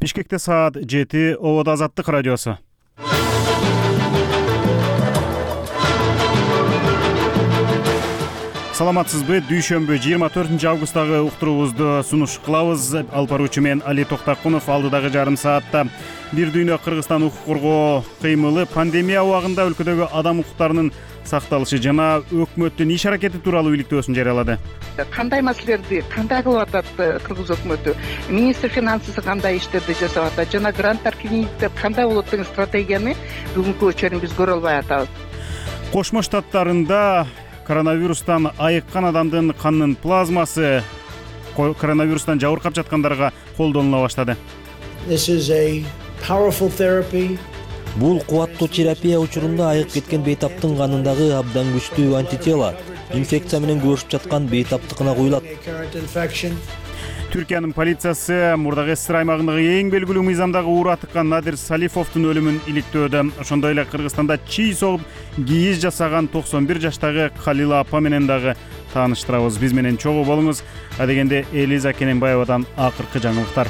Бишкекте саат 7, Обод Азаттык радиосу. Саламатсызбы? Дүйшөмбү 24 августтагы уктуруубузду сунуш кылабыз. Алып баруучу мен Али Токтакунов. Алдыдагы жарым саатта бир дүйнө Кыргызстан укук коргоо кыймылы, пандемия убагында өлкөдөгү адам укуктарынын сакталышы жана өкмөттүн иш аракети тууралуу иликтөөсүн жарыялады. Кандай маселелерди кандай кылып атат Кыргыз өкмөтү, министр финансысы кандай иштерди жасап атат жана гранттар кредиттер кандай болот деген стратегияны бүгүнкү өчөрүн биз көрө албай атабыз. Кошмо Штаттарында коронавирустан айыккан адамдын канынын плазмасы коронавирустан жабыркап жаткандарга колдонула баштады. Бул кубаттуу терапия учурунда айыгып кеткен бейтаптын канындагы абдан күчтүү антитела инфекция менен күрөшүп жаткан бейтаптыкына куюлат. Түркиянын полициясы мурдагы СССР аймагындагы эң белгилүү мыйзамдагы уура тыккан Надир Салифовдун өлүмүн иликтөөдө. Ошондой эле Кыргызстанда чий согуп кийиз жасаган 91 жаштагы Калила апа менен дагы тааныштырабыз. Биз менен чогуу болуңуз. Адегенде Элиза Кененбаевадан акыркы жаңылыктар.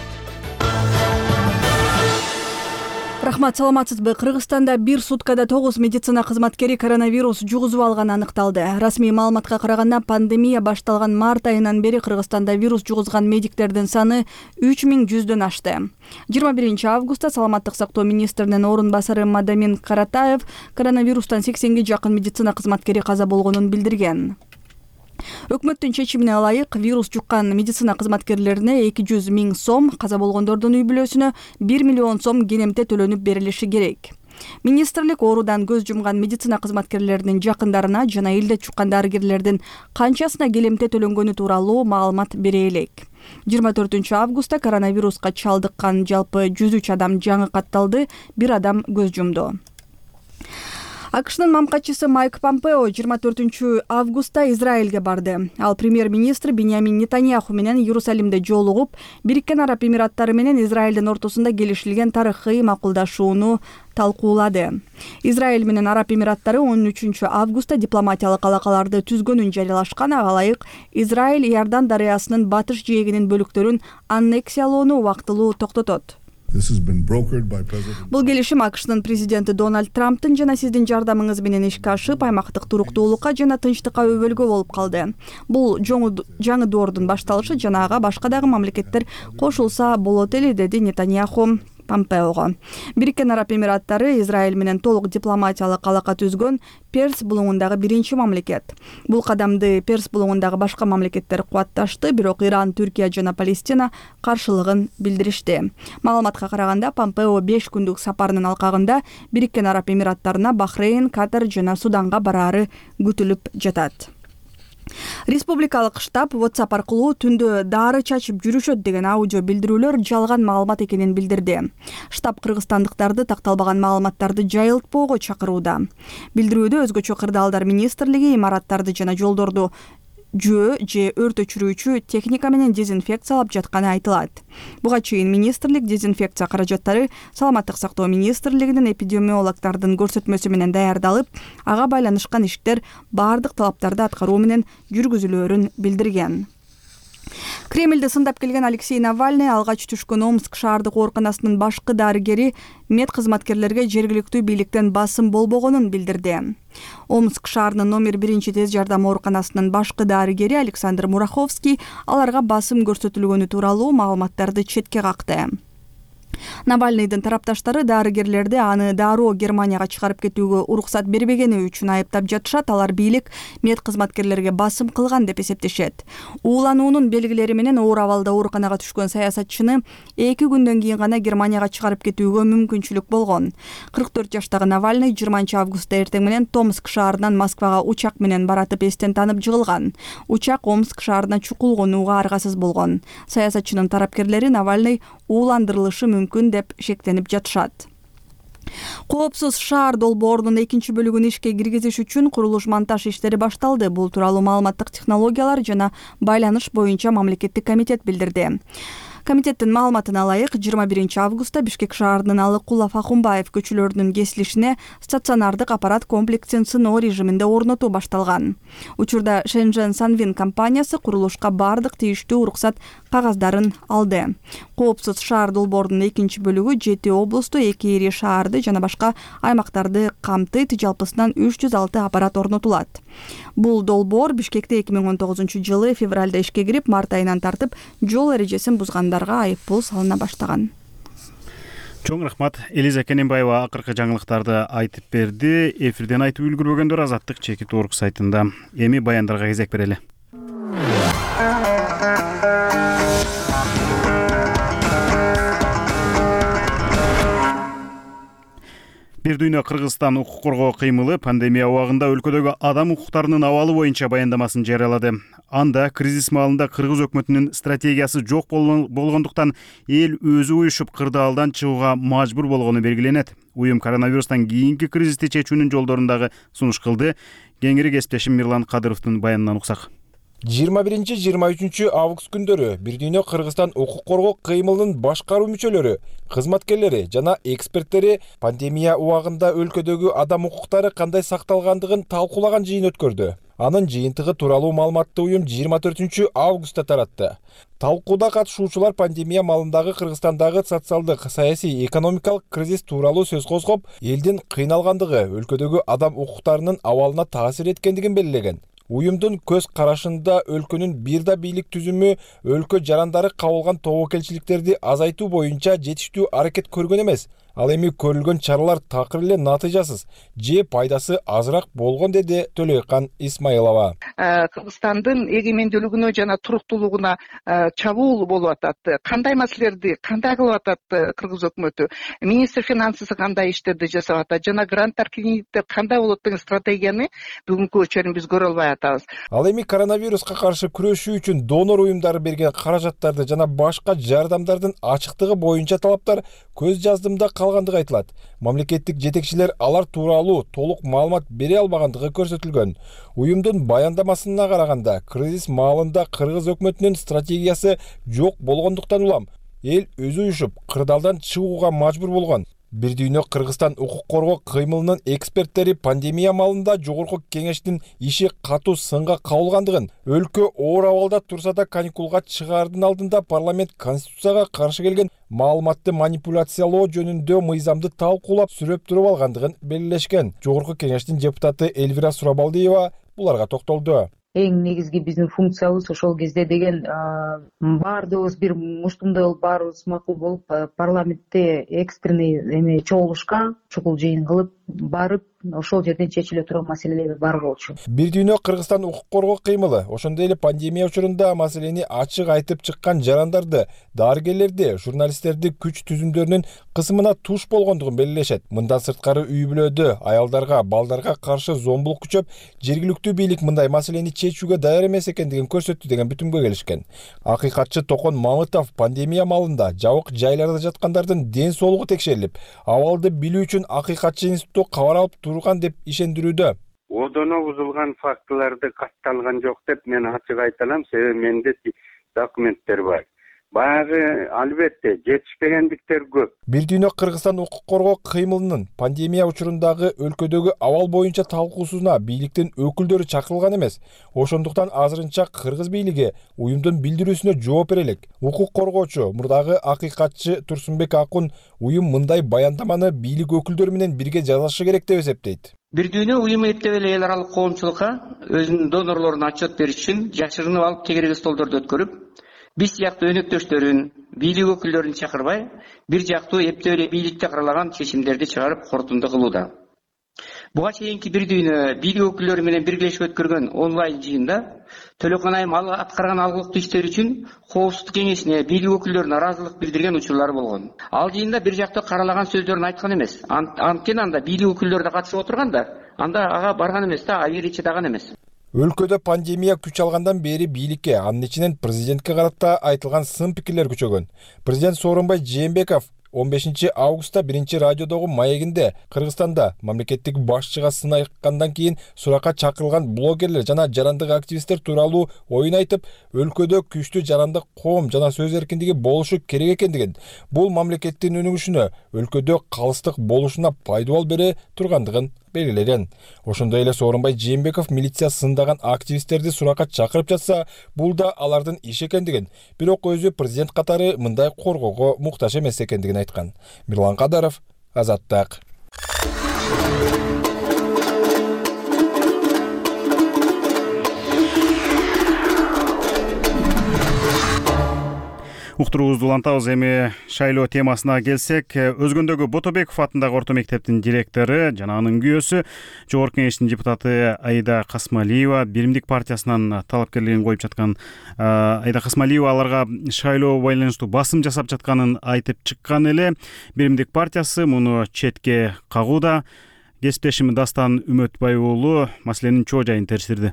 Рахмат, саламатсызбы? Кыргызстанда бир суткада 9 медицина кызматкери коронавирус жугузуп алганы аныкталды. Расмий маалыматка караганда, пандемия башталган март айынан бери Кыргызстанда вирус жугузган медиктердин саны 3100дөн ашты. 21 августта Саламаттык сактоо министринин орун басары Мадамин Каратаев коронавирустан 80ге жакын медицина кызматкери каза болгонун билдирген. Өкмөттүн чечимине ылайык вирус жуккан медицина кызматкерлерине 200 000 сом, каза болгондордун үй бүлөсүнө 1 миллион сом кенемте төлөнүп берилиши керек. Министрлик оорудан көз жумган медицина кызматкерлеринин жакындарына жана элде чуккан дарыгерлердин канчасына келемте төлөнгөнү тууралуу маалымат бере элек. 24 августта коронавируска чалдыккан жалпы 103 адам жаңы катталды, бир адам көз жумду. АКШнын мамкачысы Майк Помпео 24 августта Израилге барды. Ал премьер-министр Биньямин Нетаньяху менен Иерусалимде жолугуп, Бириккен Араб Эмираттары менен Израилдин ортосунда келишилген тарыхый макулдашууну талкуулады. Израиль менен Араб Эмираттары 13 августта дипломатиялык алакаларды түзгөнүн жарыялашкан. Ага ылайык Израиль Иордан дарыясынын батыш жээгинин бөлүктөрүн аннексиялоону убактылуу токтотот. Бул келишим АКШнын президенти Дональд Трамптын жана сиздин жардамыңыз менен ишке ашып, аймактык туруктуулукка жана тынчтыкка өбөлгө болуп калды. Бул жаңы доордун башталышы жана ага башка дагы мамлекеттер кошулса болот эле, деди Нетаньяху Помпеого. Бириккен Араб Эмираттары Израиль менен толук дипломатиялык алака түзгөн Перс булуңундагы биринчи мамлекет. Бул кадамды Перс булуңундагы башка мамлекеттер кубатташты, бирок Иран, Түркия жана Палестина каршылыгын билдиришти. Маалыматка караганда, Помпео 5 күндүк сапарынын алкагында Бириккен Араб Эмираттарына Бахрейн, Катар жана Суданга бараары күтүлүп жатат. Республикалык штаб WhatsApp аркылуу түндө дары чачып жүрүшөт деген аудио билдирүүлөр жалган маалымат экенин билдирди. Штаб кыргызстандыктарды такталбаган маалыматтарды жайылтпоого чакырууда. Билдирүүдө өзгөчө кырдаалдар министрлиги имараттарды жана жолдорду жөө же өрт өчүрүүчү техника менен дезинфекциялап жатканы айтылат. Буга чейин министрлик дезинфекция каражаттары Саламаттык сактоо министрлигинин эпидемиологдордун көрсөтмөсү менен даярдалып, ага байланышкан иштер бардык талаптарды аткаруу менен жүргүзүлөөрүн билдирген. Кремльди сындап келген Алексей Навальный алгач түшкөн Омск шаардык ооруканасынын башкы дарыгери мед кызматкерлерге жергиликтүү бийликтен басым болбогонун билдирди. Омск шаарынын номер 1 тез жардам ооруканасынын башкы дарыгери Александр Мураховский аларга басым көрсөтүлгөнү тууралуу маалыматтарды четке какты. Навальныйдын тарапташтары дарыгерлерди аны дароо Германияга чыгарып кетүүгө уруксат бербегени үчүн айыптап жатышат. Алар бийлик мед кызматкерлерге басым кылган деп эсептешет. Уулануунун белгилери менен оор абалда ооруканага түшкөн саясатчыны 2 күндөн кийин гана Германияга чыгарып кетүүгө мүмкүнчүлүк болгон. 44 жаштагы Навальный 20 августта эртең менен Томск шаарынан Москвага учак менен баратып эстен танып жыгылган. Учак Омск шаарына чукул конууга аргасыз болгон. Саясатчынын тарапкерлери Навальный ууландырылышы мүмкүн деп шектенип жатышат. Коопсуз шаар долбоорунун 2 бөлүгүн ишке киргизиш үчүн курулуш-монтаж иштери башталды. Бул тууралуу маалыматтык технологиялар жана байланыш боюнча мамлекеттик комитет билдирди. Комитеттин маалыматына ылайык 21 августта Бишкек шаарынын Алыкулов Акунбаев көчөлөрүнүн кесилишине стационардык аппарат комплексин сыноо режиминде орнотуу башталган. Учурда Шэньчжэн Санвин компаниясы курулушка бардык тийиштүү уруксат кагаздарын алды. Коопсуз шаар долбоорунун экинчи бөлүгү 7 облусту, 2 ири шаарды жана башка аймактарды камтыйт. Жалпысынан 306 аппарат орнотулат. Бул долбоор Бишкекте 2019 февралда ишке кирип, март айынан тартып жол эрежесин бузгандарга айыппул салына баштаган. Чоң рахмат. Элиза Кененбаева акыркы жаңылыктарды айтып берди. Эфирден айтып үлгүрбөгөндөр Азаттык чекит орг сайтында. Эми баяндарга кезек берели. Бир дүйнө Кыргызстан укук коргоо кыймылы пандемия убагында өлкөдөгү адам укуктарынын абалы боюнча баяндамасын жарыялады. Анда кризис маалында кыргыз өкмөтүнүн стратегиясы жок болгондуктан эл өзү уюшуп кырдаалдан чыгууга мажбур болгону белгиленет. Уюм коронавирустан кийинки кризисти чечүүнүн жолдорун дагы сунуш кылды. Кеңири кесиптешим Мирлан Кадыровдун баянынан уксак. 21-23 август күндөрү Бир дүйнө Кыргызстан укук коргоо кыймылынын башкаруу мүчөлөрү, кызматкерлери жана эксперттери пандемия убагында өлкөдөгү адам укуктары кандай сакталгандыгын талкуулаган жыйын өткөрдү. Анын жыйынтыгы тууралуу маалыматты уюм 24 августта таратты. Талкууда катышуучулар пандемия маалындагы Кыргызстандагы социалдык, саясий, экономикалык кризис тууралуу сөз козгоп, элдин кыйналгандыгы, өлкөдөгү адам укуктарынын абалына таасир эткендигин белгилеген. Уюмдун көз карашында өлкөнүн бир да бийлик түзүмү өлкө жарандары кабылган тобокелчиликтерди азайтуу боюнча жетиштүү аракет көргөн эмес. Ал эми көрүлгөн чаралар такыр эле натыйжасыз же пайдасы азыраак болгон, деди Төлөйкан Исмаилова. Кыргызстандын эгемендүүлүгүнө жана туруктуулугуна чабуул болуп атат. Кандай маселелерди кандай кылып атат кыргыз өкмөтү? Министр финансысы кандай иштерди жасап атат? Жана гранттар кредиттер кандай болот деген стратегияны бүгүнкү өчөрүн биз көрө албай атабыз. Ал эми коронавируска каршы күрөшүү үчүн донор уюмдары берген каражаттарды жана башка жардамдардын ачыктыгы боюнча талаптар көз жаздымда калгандыгы айтылат. Мамлекеттик жетекчилер алар тууралуу толук маалымат бере албагандыгы көрсөтүлгөн. Уюмдун баяндамасына караганда, кризис маалында кыргыз өкмөтүнүн стратегиясы жок болгондуктан улам эл өзү уюшуп кырдаалдан чыгууга мажбур болгон. Бир дүйнө Кыргызстан укук коргоо кыймылынын эксперттери пандемия маалында жогорку кеңештин иши катуу сынга кабылгандыгын, өлкө оор абалда турса да каникулга чыгаардын алдында парламент конституцияга каршы келген маалыматты манипуляциялоо жөнүндө мыйзамды талкуулап сүрөп туруп алгандыгын белгилешкен. Жогорку кеңештин депутаты Элвира Сурабалдиева буларга токтолду. Эң негизги биздин функциябыз ошол кезде деген баардыгыбыз бир муштумдай болуп, баарыбыз макул болуп, парламентте экстренный чогулушка, чукул жыйын кылып барып, ошол жерден чечиле турган маселелер бар болчу. Бир дүйнө Кыргызстан укук коргоо кыймылы ошондой эле пандемия учурунда маселени ачык айтып чыккан жарандарды, дарыгерлерди, журналисттерди күч түзүмдөрүнүн кысымына туш болгондугун белгилешет. Мындан сырткары үй бүлөдө аялдарга, балдарга каршы зомбулук күчөп, жергиликтүү бийлик мындай маселени чечүүгө даяр эмес экендигин көрсөттү деген бүтүмгө келишкен. Акыйкатчы Токон Мамытов пандемия маалында жабык жайларда жаткандардын ден соолугу текшерилип, абалды билүү үчүн акыйкатчы институтту кабар алып турган деп ишендирүүдө. Одоно бузулган фактыларды катталган жок деп мен ачык айта алам, себеби менде документтер бар. Баягы албетте жетишпегендиктер көп. Бир дүйнө Кыргызстан укук коргоо кыймылынын пандемия учурундагы өлкөдөгү абал боюнча талкуусуна бийликтин өкүлдөрү чакырылган эмес. Ошондуктан азырынча кыргыз бийлиги уюмдун билдирүүсүнө жооп бере элек. Укук коргоочу, мурдагы акыйкатчы Турсунбек Акун уюм мындай баяндаманы бийлик өкүлдөрү менен бирге жазышы керек деп эсептейт. Бир дүйнө уюму эптеп эле эл аралык коомчулукка өзүнүн донорлоруна отчет бериш үчүн жашырынып алып тегерек столдорду өткөрүп, биз сыяктуу өнөктөштөрүн, бийлик өкүлдөрүн чакырбай, бир жактуу эптеп эле бийликте каралаган чечимдерди чыгарып корутунду кылууда. Буга чейинки бир дүйнө бийлик өкүлдөрү менен биргелешип өткөргөн онлайн жыйында Төлөкөн Айым аткарган алгылыктуу иштер үчүн Коопсуздук кеңешине бийлик өкүлдөрүнүн ыраазылык билдирген учурлар болгон. Ал жыйында бир жактуу каралаган сөздөрүн айткан эмес. Анткени анда бийлик өкүлдөрү да катышып отурган да, анда ага барган эмес да, айыр чыдаган эмес. Өлкөдө пандемия күч алгандан бери бийликке, анын ичинен президентке карата айтылган сын пикирлер күчөгөн. Президент Сооронбай Жээнбеков 15 августта 1 радиодогу маегинде Кыргызстанда мамлекеттик башчыга сын айткандан кийин суракка чакырылган блогерлер жана жарандык активисттер тууралуу оюн айтып, өлкөдө күчтүү жарандык коом жана сөз эркиндиги болушу керек экендигин, бул мамлекеттин өнүгүшүнө, өлкөдө калыстык болушуна пайдабол бере тургандыгын белгилеген. Ошондой эле Сооронбай Жээнбеков милиция сындаган активисттерди суракка чакырып жатса, бул да алардын иши экендигин, бирок өзү президент катары мындай коргоого муктаж эмес экендигин айткан. Мирлан Кадаров, Азаттык. Уктуруубузду улантабыз. Эми шайлоо темасына келсек, Өзгөндөгү Ботобеков атындагы орто мектептин директору жана анын күйөөсү, Жогорку Кеңештин депутаты Аида Касмалиева Биримдик партиясынан талапкерлигин коюп жаткан. Аида Касмалиева аларга шайлоого байланыштуу басым жасап жатканын айтып чыккан эле. Биримдик партиясы муну четке кагууда. Кесиптешим Дастан Үмөтбай уулу маселенин чоо жайын териштирди.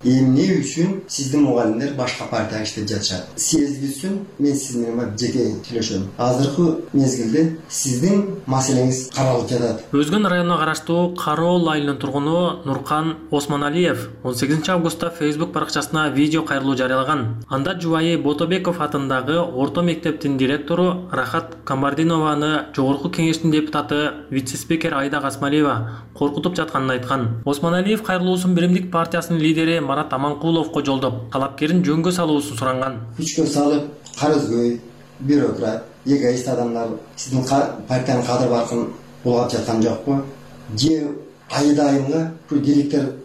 Эмне үчүн сиздин мугалимдер башка партияга иштеп жатышат? Сезги үчүн мен сиз менен жеке сүйлөшөм. Азыркы мезгилде сиздин маселеңиз каралып жатат. Өзгөн районуна караштуу Кароол айылынын тургуну Нуркан Осмоналиев 18 августта Facebook баракчасына видео кайрылуу жарыялаган. Анда жубайы Ботобеков атындагы орто мектептин директору Рахат Камбардинованы Жогорку Кеңештин депутаты вице-спикер Аида Касмалиева коркутуп жатканын айткан. Осмоналиев кайрылуусун Биримдик партиясынын лидери Марат Аманкуловго жолдоп, талапкерин жөнгө салуусун суранган. Күчкө салып, карызгөй, бюрократ, эгоист адамдар сиздин партиянын кадыр баркын булгап жаткан жокпу? Же айда айымга бул директор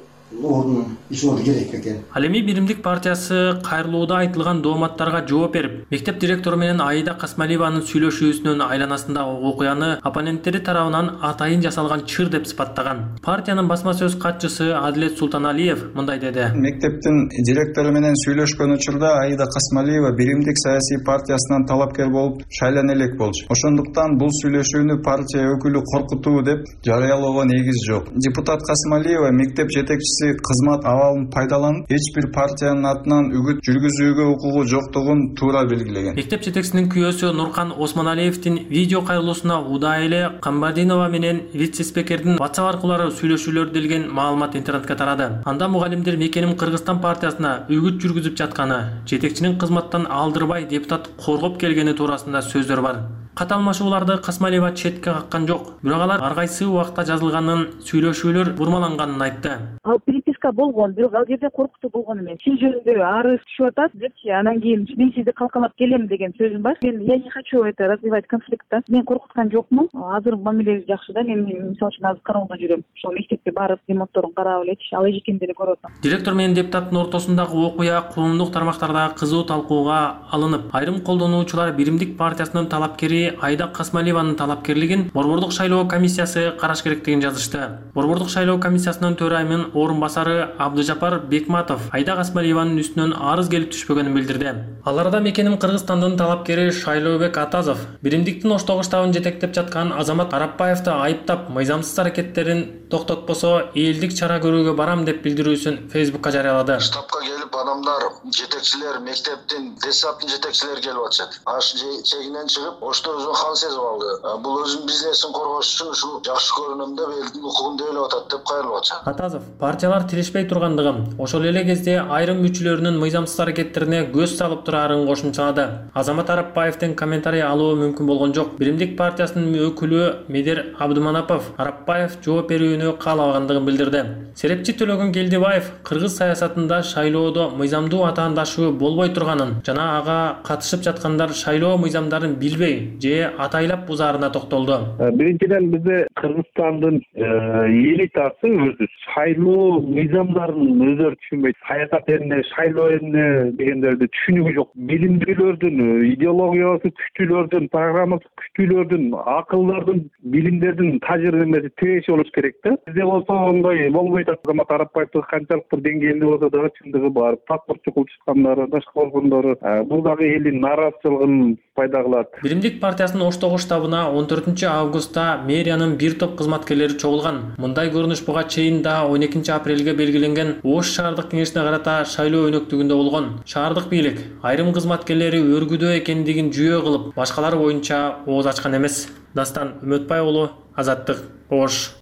ордун иш орду керек экен. Ал эми Биримдик партиясы кайрылууда айтылган дооматтарга жооп берип, мектеп директору менен Аида Касмалиеванын сүйлөшүүсүнүн айланасындагы окуяны оппоненттери тарабынан атайын жасалган чыр деп сыпаттаган. Партиянын басма сөз катчысы Адилет Султаналиев мындай деди. Мектептин директору менен сүйлөшкөн учурда Аида Касмалиева Биримдик саясий партиясынан талапкер болуп шайлана элек болчу. Ошондуктан бул сүйлөшүүнү партия өкүлү коркутуу деп жарыялоого негиз жок. Депутат Касмалиева мектеп жетекчиси кызмат абалын пайдаланып, эч бир партиянын атынан үгүт жүргүзүүгө укугу жоктугун туура белгилеген. Мектеп жетекчисинин күйөөсү Нуркан Осмоналиевдин видео кайрылуусуна удай эле Камбардинова менен вице-спикердин WhatsApp аркылуу сүйлөшүүлөр делген маалымат интернетке тарады. Анда мугалимдер Мекеним Кыргызстан партиясына үгүт жүргүзүп жатканы, жетекчинин кызматтан алдырбай депутат коргоп келгени туурасында сөздөр бар. Каталмашууларды Касмалиева четке каккан жок. Бирок алар ар кайсы убакта жазылганын, сүйлөшүүлөр бурмаланганын айтты. Ал переписка болгон, бирок ал жерде коркутуу болгон эмес. Сиз жөнүндө арыз түшүп атат депчи, анан кийин мен сизди калкалап келем деген сөзүм бар. Я не хочу это развивать конфликт. Мен коркуткан жокмун. Азыр мамилең жакшы да, мен мисалы үчүн азыр кароолдо жүрөм. Ошол мектепке барып, ремонтторун карап элечи, ал эжекендерди көрүп атам. Директор менен депутаттын ортосундагы окуя коомдук тармактарда кызуу талкууга алынып, айрым колдонуучулар Биримдик партиясынын талапкери Аида Касмалиеванын талапкерлигин Борбордук шайлоо комиссиясы караш керектигин жазышты. Борбордук шайлоо комиссиясынын төрайымынын орун басары Абдыжапар Бекматов Аида Касмалиеванын үстүнөн арыз келип түшпөгөнүн билдирди. Аларда Мекеним Кыргызстандын талапкери Шайлообек Атазов Биримдиктин Оштогу штабын жетектеп жаткан Азамат Арапбаевди айыптап, мыйзамсыз аракеттерин токтотпосо элдик чара көрүүгө барам деп билдирүүсүн Facebookка жарыялады. Штабка келип адамдар, жетекчилер, мектептин, десаптын жетекчилери келип атышат. Аш чегинен чыгып, Ошто өзүн кан сезип алды. Бул өзүнүн бизнесин коргош үчүн ушул жакшы көрүнөм деп элдин укугун делеп атат деп кайрылып атышат. Атазов партиялар тирешпей тургандыгын, ошол эле кезде айрым мүчөлөрүнүн мыйзамсыз аракеттерине көз салып турарын кошумчалады. Азамат Арапбаевдин комментарий алуу мүмкүн болгон жок. Биримдик партиясынын өкүлү Медер Абдыманапов Арапбаев жооп берүүнү каалабагандыгын билдирди. Серепчи Төлөгөн Келдибаев кыргыз саясатында шайлоодо мыйзамдуу атаандашуу болбой турганын жана ага катышып жаткандар шайлоо мыйзамдарын билбей же атайлап бузаарына токтолду. Биринчиден бизде Кыргызстандын элитасы өзү шайлоо мыйзамдарын өздөрү түшүнбөйт. Саясат эмне, шайлоо эмне дегендерди түшүнүгү жок. Билимдүүлөрдүн, идеологиясы күчтүүлөрдүн, программасы күчтүүлөрдүн, акылдардын, билимдердин тажрыйбасы тиреши болуш керек да. Бизде болсо ондой болбойт. Азамат Арапбаевдин канчалык бир деңгээлде болсо дагы чындыгы бар. Паспорт чукулуп чыккандары, башка болгондору бул дагы элдин нааразычылыгын пайда кылат. Биримдик партиясынын Оштогу штабына 14 августта мэриянын бир топ кызматкерлери чогулган. Мындай көрүнүш буга чейин да 12 апрелге белгиленген Ош шаардык кеңешине карата шайлоо өнөктүгүндө болгон. Шаардык бийлик айрым кызматкерлери өргүдө экендигин жүйө кылып, башкалары боюнча ооз ачкан эмес. Дастан Үмөтбай уулу, Азаттык, Ош.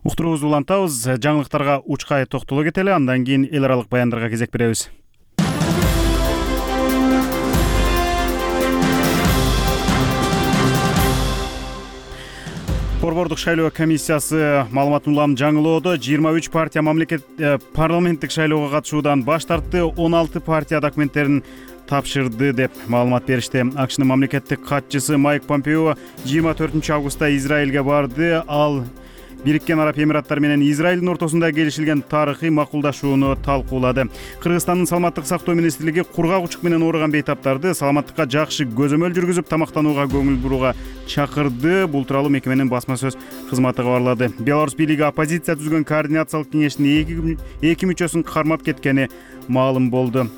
Уктуруубузду улантабыз. Жаңылыктарга учкай токтоло кетели, андан кийин эл аралык баяндарга кезек беребиз. Борбордук шайлоо комиссиясы маалыматын улам жаңылоодо 23 партия парламенттик шайлоого катышуудан баш тартты, 16 партия документтерин тапшырды деп маалымат беришти. АКШнын мамлекеттик катчысы Майк Помпео 24 августта Израилге барды. Ал Бириккен Араб Эмираттары менен Израилдин ортосунда келишилген тарыхый макулдашууну талкуулады. Кыргызстандын саламаттык сактоо министрлиги кургак учук менен ооруган бейтаптарды саламаттыкка жакшы көзөмөл жүргүзүп, тамактанууга көңүл бурууга чакырды. Бул тууралуу мекеменин басма сөз кызматы кабарлады. Беларусь бийлиги оппозиция түзгөн координациялык кеңештин 2 мүчөсүн кармап кеткени маалым болду.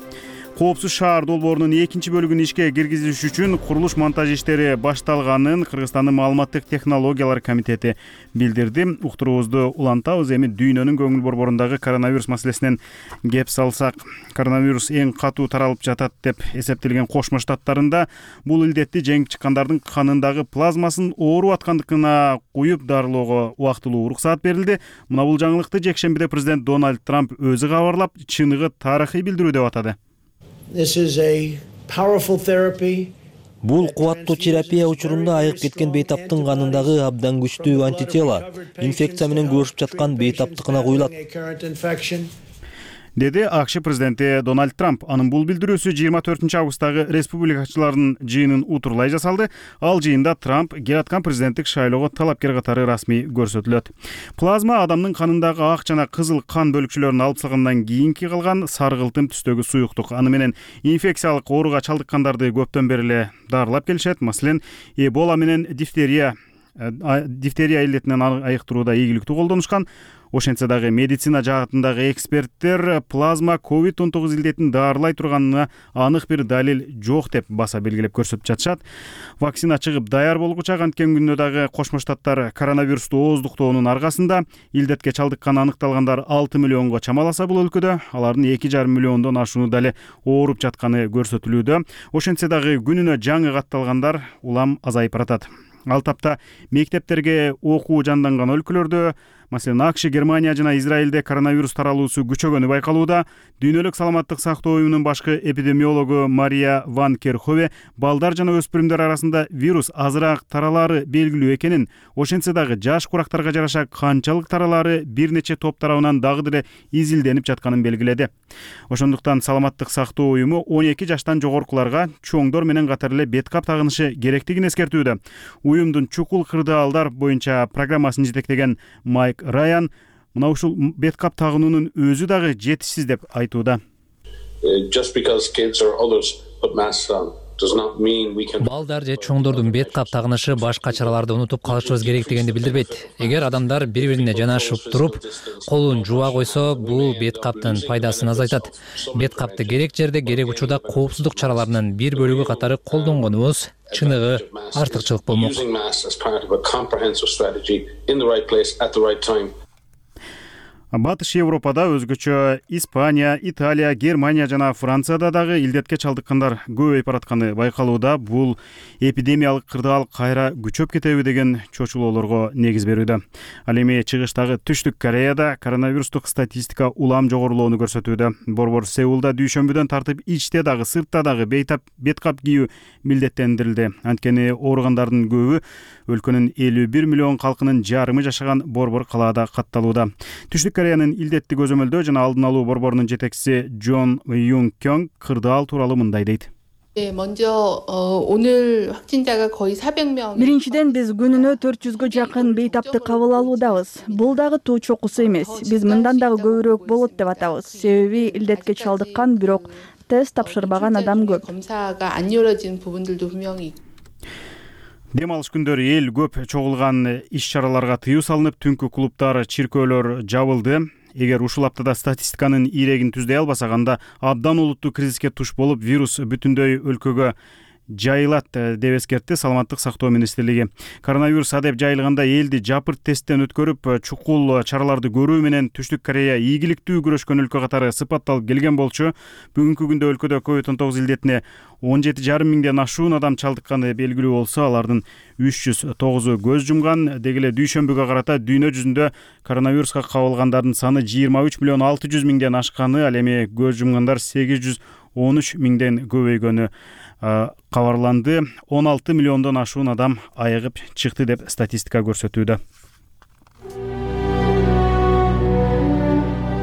Коопсуз шаар долбоорунун 2 бөлүгүн ишке киргизиш үчүн курулуш монтаж иштери башталганын Кыргызстандын маалыматтык технологиялар комитети билдирди. Уктуруубузду улантабыз. Эми дүйнөнүн көңүл борборундагы коронавирус маселесинен кеп салсак, коронавирус эң катуу таралып жатат деп эсептелген Кошмо Штаттарында бул илдетти жеңип чыккандардын канындагы плазмасын оору аткандыгына куюп дарылоого убактылуу уруксаат берилди. Мына бул жаңылыкты жекшембиде президент Дональд Трамп өзү кабарлап, чыныгы тарыхый билдирүү деп атады. Бул кубаттуу терапия учурунда айык кеткен бейтаптын канындагы абдан күчтүү антитела инфекция менен күрөшүп жаткан бейтаптыкына куюлат, деди АКШ президенти Дональд Трамп. Анын бул билдирүүсү 24 августтагы республикачылардын жыйынын утурлай жасалды. Ал жыйында Трамп келаткан президенттик шайлоого талапкер катары расмий көрсөтүлөт. Плазма адамдын канындагы ак жана кызыл кан бөлүкчөлөрүн алып салгандан кийинки калган саргылтым түстөгү суюктук. Аны менен инфекциялык ооруга чалдыккандарды көптөн бери эле дарылап келишет. Маселен, Эбола менен дифтерия илдетинен айыктырууда ийгиликтүү колдонушкан. Ошентсе дагы медицина жаатындагы эксперттер плазма COVID-19 илдетин дарылай турганына анык бир далил жок деп баса белгилеп көрсөтүп жатышат. Вакцина чыгып даяр болгуча анткен күндө дагы Кошмо Штаттар коронавирусту ооздуктоонун аркасында илдетке чалдыккан аныкталгандар 6 миллионго чамаласа бул өлкөдө, алардын 2,5 миллиондон ашууну дале ооруп жатканы көрсөтүлүүдө. Ошентсе дагы күнүнө жаңы катталгандар улам азайып баратат. Ал тапта мектептерге окуу жанданган өлкөлөрдө, маселен АКШ, Германия жана Израилде коронавирус таралуусу күчөгөнү байкалууда. Дүйнөлүк саламаттык сактоо уюмунун башкы эпидемиологу Мария Ван Керхове балдар жана өспүрүмдөр арасында вирус азыраак таралары белгилүү экенин, ошентсе дагы жаш курактарга жараша канчалык таралары бир нече топ тарабынан дагы деле изилденип жатканын белгиледи. Ошондуктан саламаттык сактоо уюму 12 жаштан жогоркуларга чоңдор менен катар эле бет кап тагынышы керектигин эскертүүдө. Уюмдун чукул кырдаалдар боюнча программасын жетектеген Майк Райан мына ушул бет кап тагынуунун өзү дагы жетишсиз деп айтууда. Балдар же чоңдордун бет кап тагынышы башка чараларды унутуп калышыбыз керек дегенди билдирбейт. Эгер адамдар бири-бирине жанашып туруп, колун жууа койсо, бул бет каптын пайдасын азайтат. Бет капты керек жерде, керек учурда коопсуздук чараларынын бир бөлүгү катары колдонгонубуз чыныгы артыкчылык болмок. Батыш Европада өзгөчө Испания, Италия, Германия жана Францияда дагы илдетке чалдыккандар көбөйүп баратканы байкалууда. Бул эпидемиялык кырдаал кайра күчөп кетеби деген чочулоолорго негиз берүүдө. Ал эми чыгыштагы Түштүк Кореяда коронавирустук статистика улам жогорулоону көрсөтүүдө. Борбор Сеулда дүйшөмбүдөн тартып ичте дагы, сыртта дагы бет кап кийүү милдеттендирилди. Анткени ооругандардын көбү өлкөнүн 51 миллион калкынын жарымы жашаган борбор калаада катталууда. Түштүк Кореянын илдетти көзөмөлдөө жана алдын алуу борборунун жетекчиси Джон Юнг Кёнг кырдаал тууралуу мындай дейт. Биринчиден биз күнүнө 400гө жакын бейтапты кабыл алуудабыз. Бул дагы туу чокусу эмес. Биз мындан дагы көбүрөөк болот деп атабыз. Себеби илдетке чалдыккан, бирок тест тапшырбаган адам көп. Дем алыш күндөрү эл көп чогулган иш-чараларга тыюу салынып, түнкү клубдар, чиркөөлөр жабылды. Эгер ушул аптада статистиканын ирегин түздөй албасак, анда абдан олуттуу кризиске туш болуп, вирус бүтүндөй өлкөгө жайылат деп эскертти Саламаттык сактоо министрлиги. Коронавирус адеп жайылганда элди жапырт тесттен өткөрүп, чукул чараларды көрүү менен Түштүк Корея ийгиликтүү күрөшкөн өлкө катары сыпатталып келген болчу. Бүгүнкү күндө өлкөдө COVID-19 илдетине 17,5 миңден ашуун адам чалдыкканы белгилүү болсо, алардын 309-у көз жумган. Деги эле дүйшөмбүгө карата дүйнө жүзүндө коронавируска кабылгандардын саны 23 миллион 600 миңден ашканы, ал эми көз жумгандар 813 миңден көбөйгөнү кабарланды. 16 миллиондон ашуун адам айыгып чыкты деп статистика көрсөтүүдө.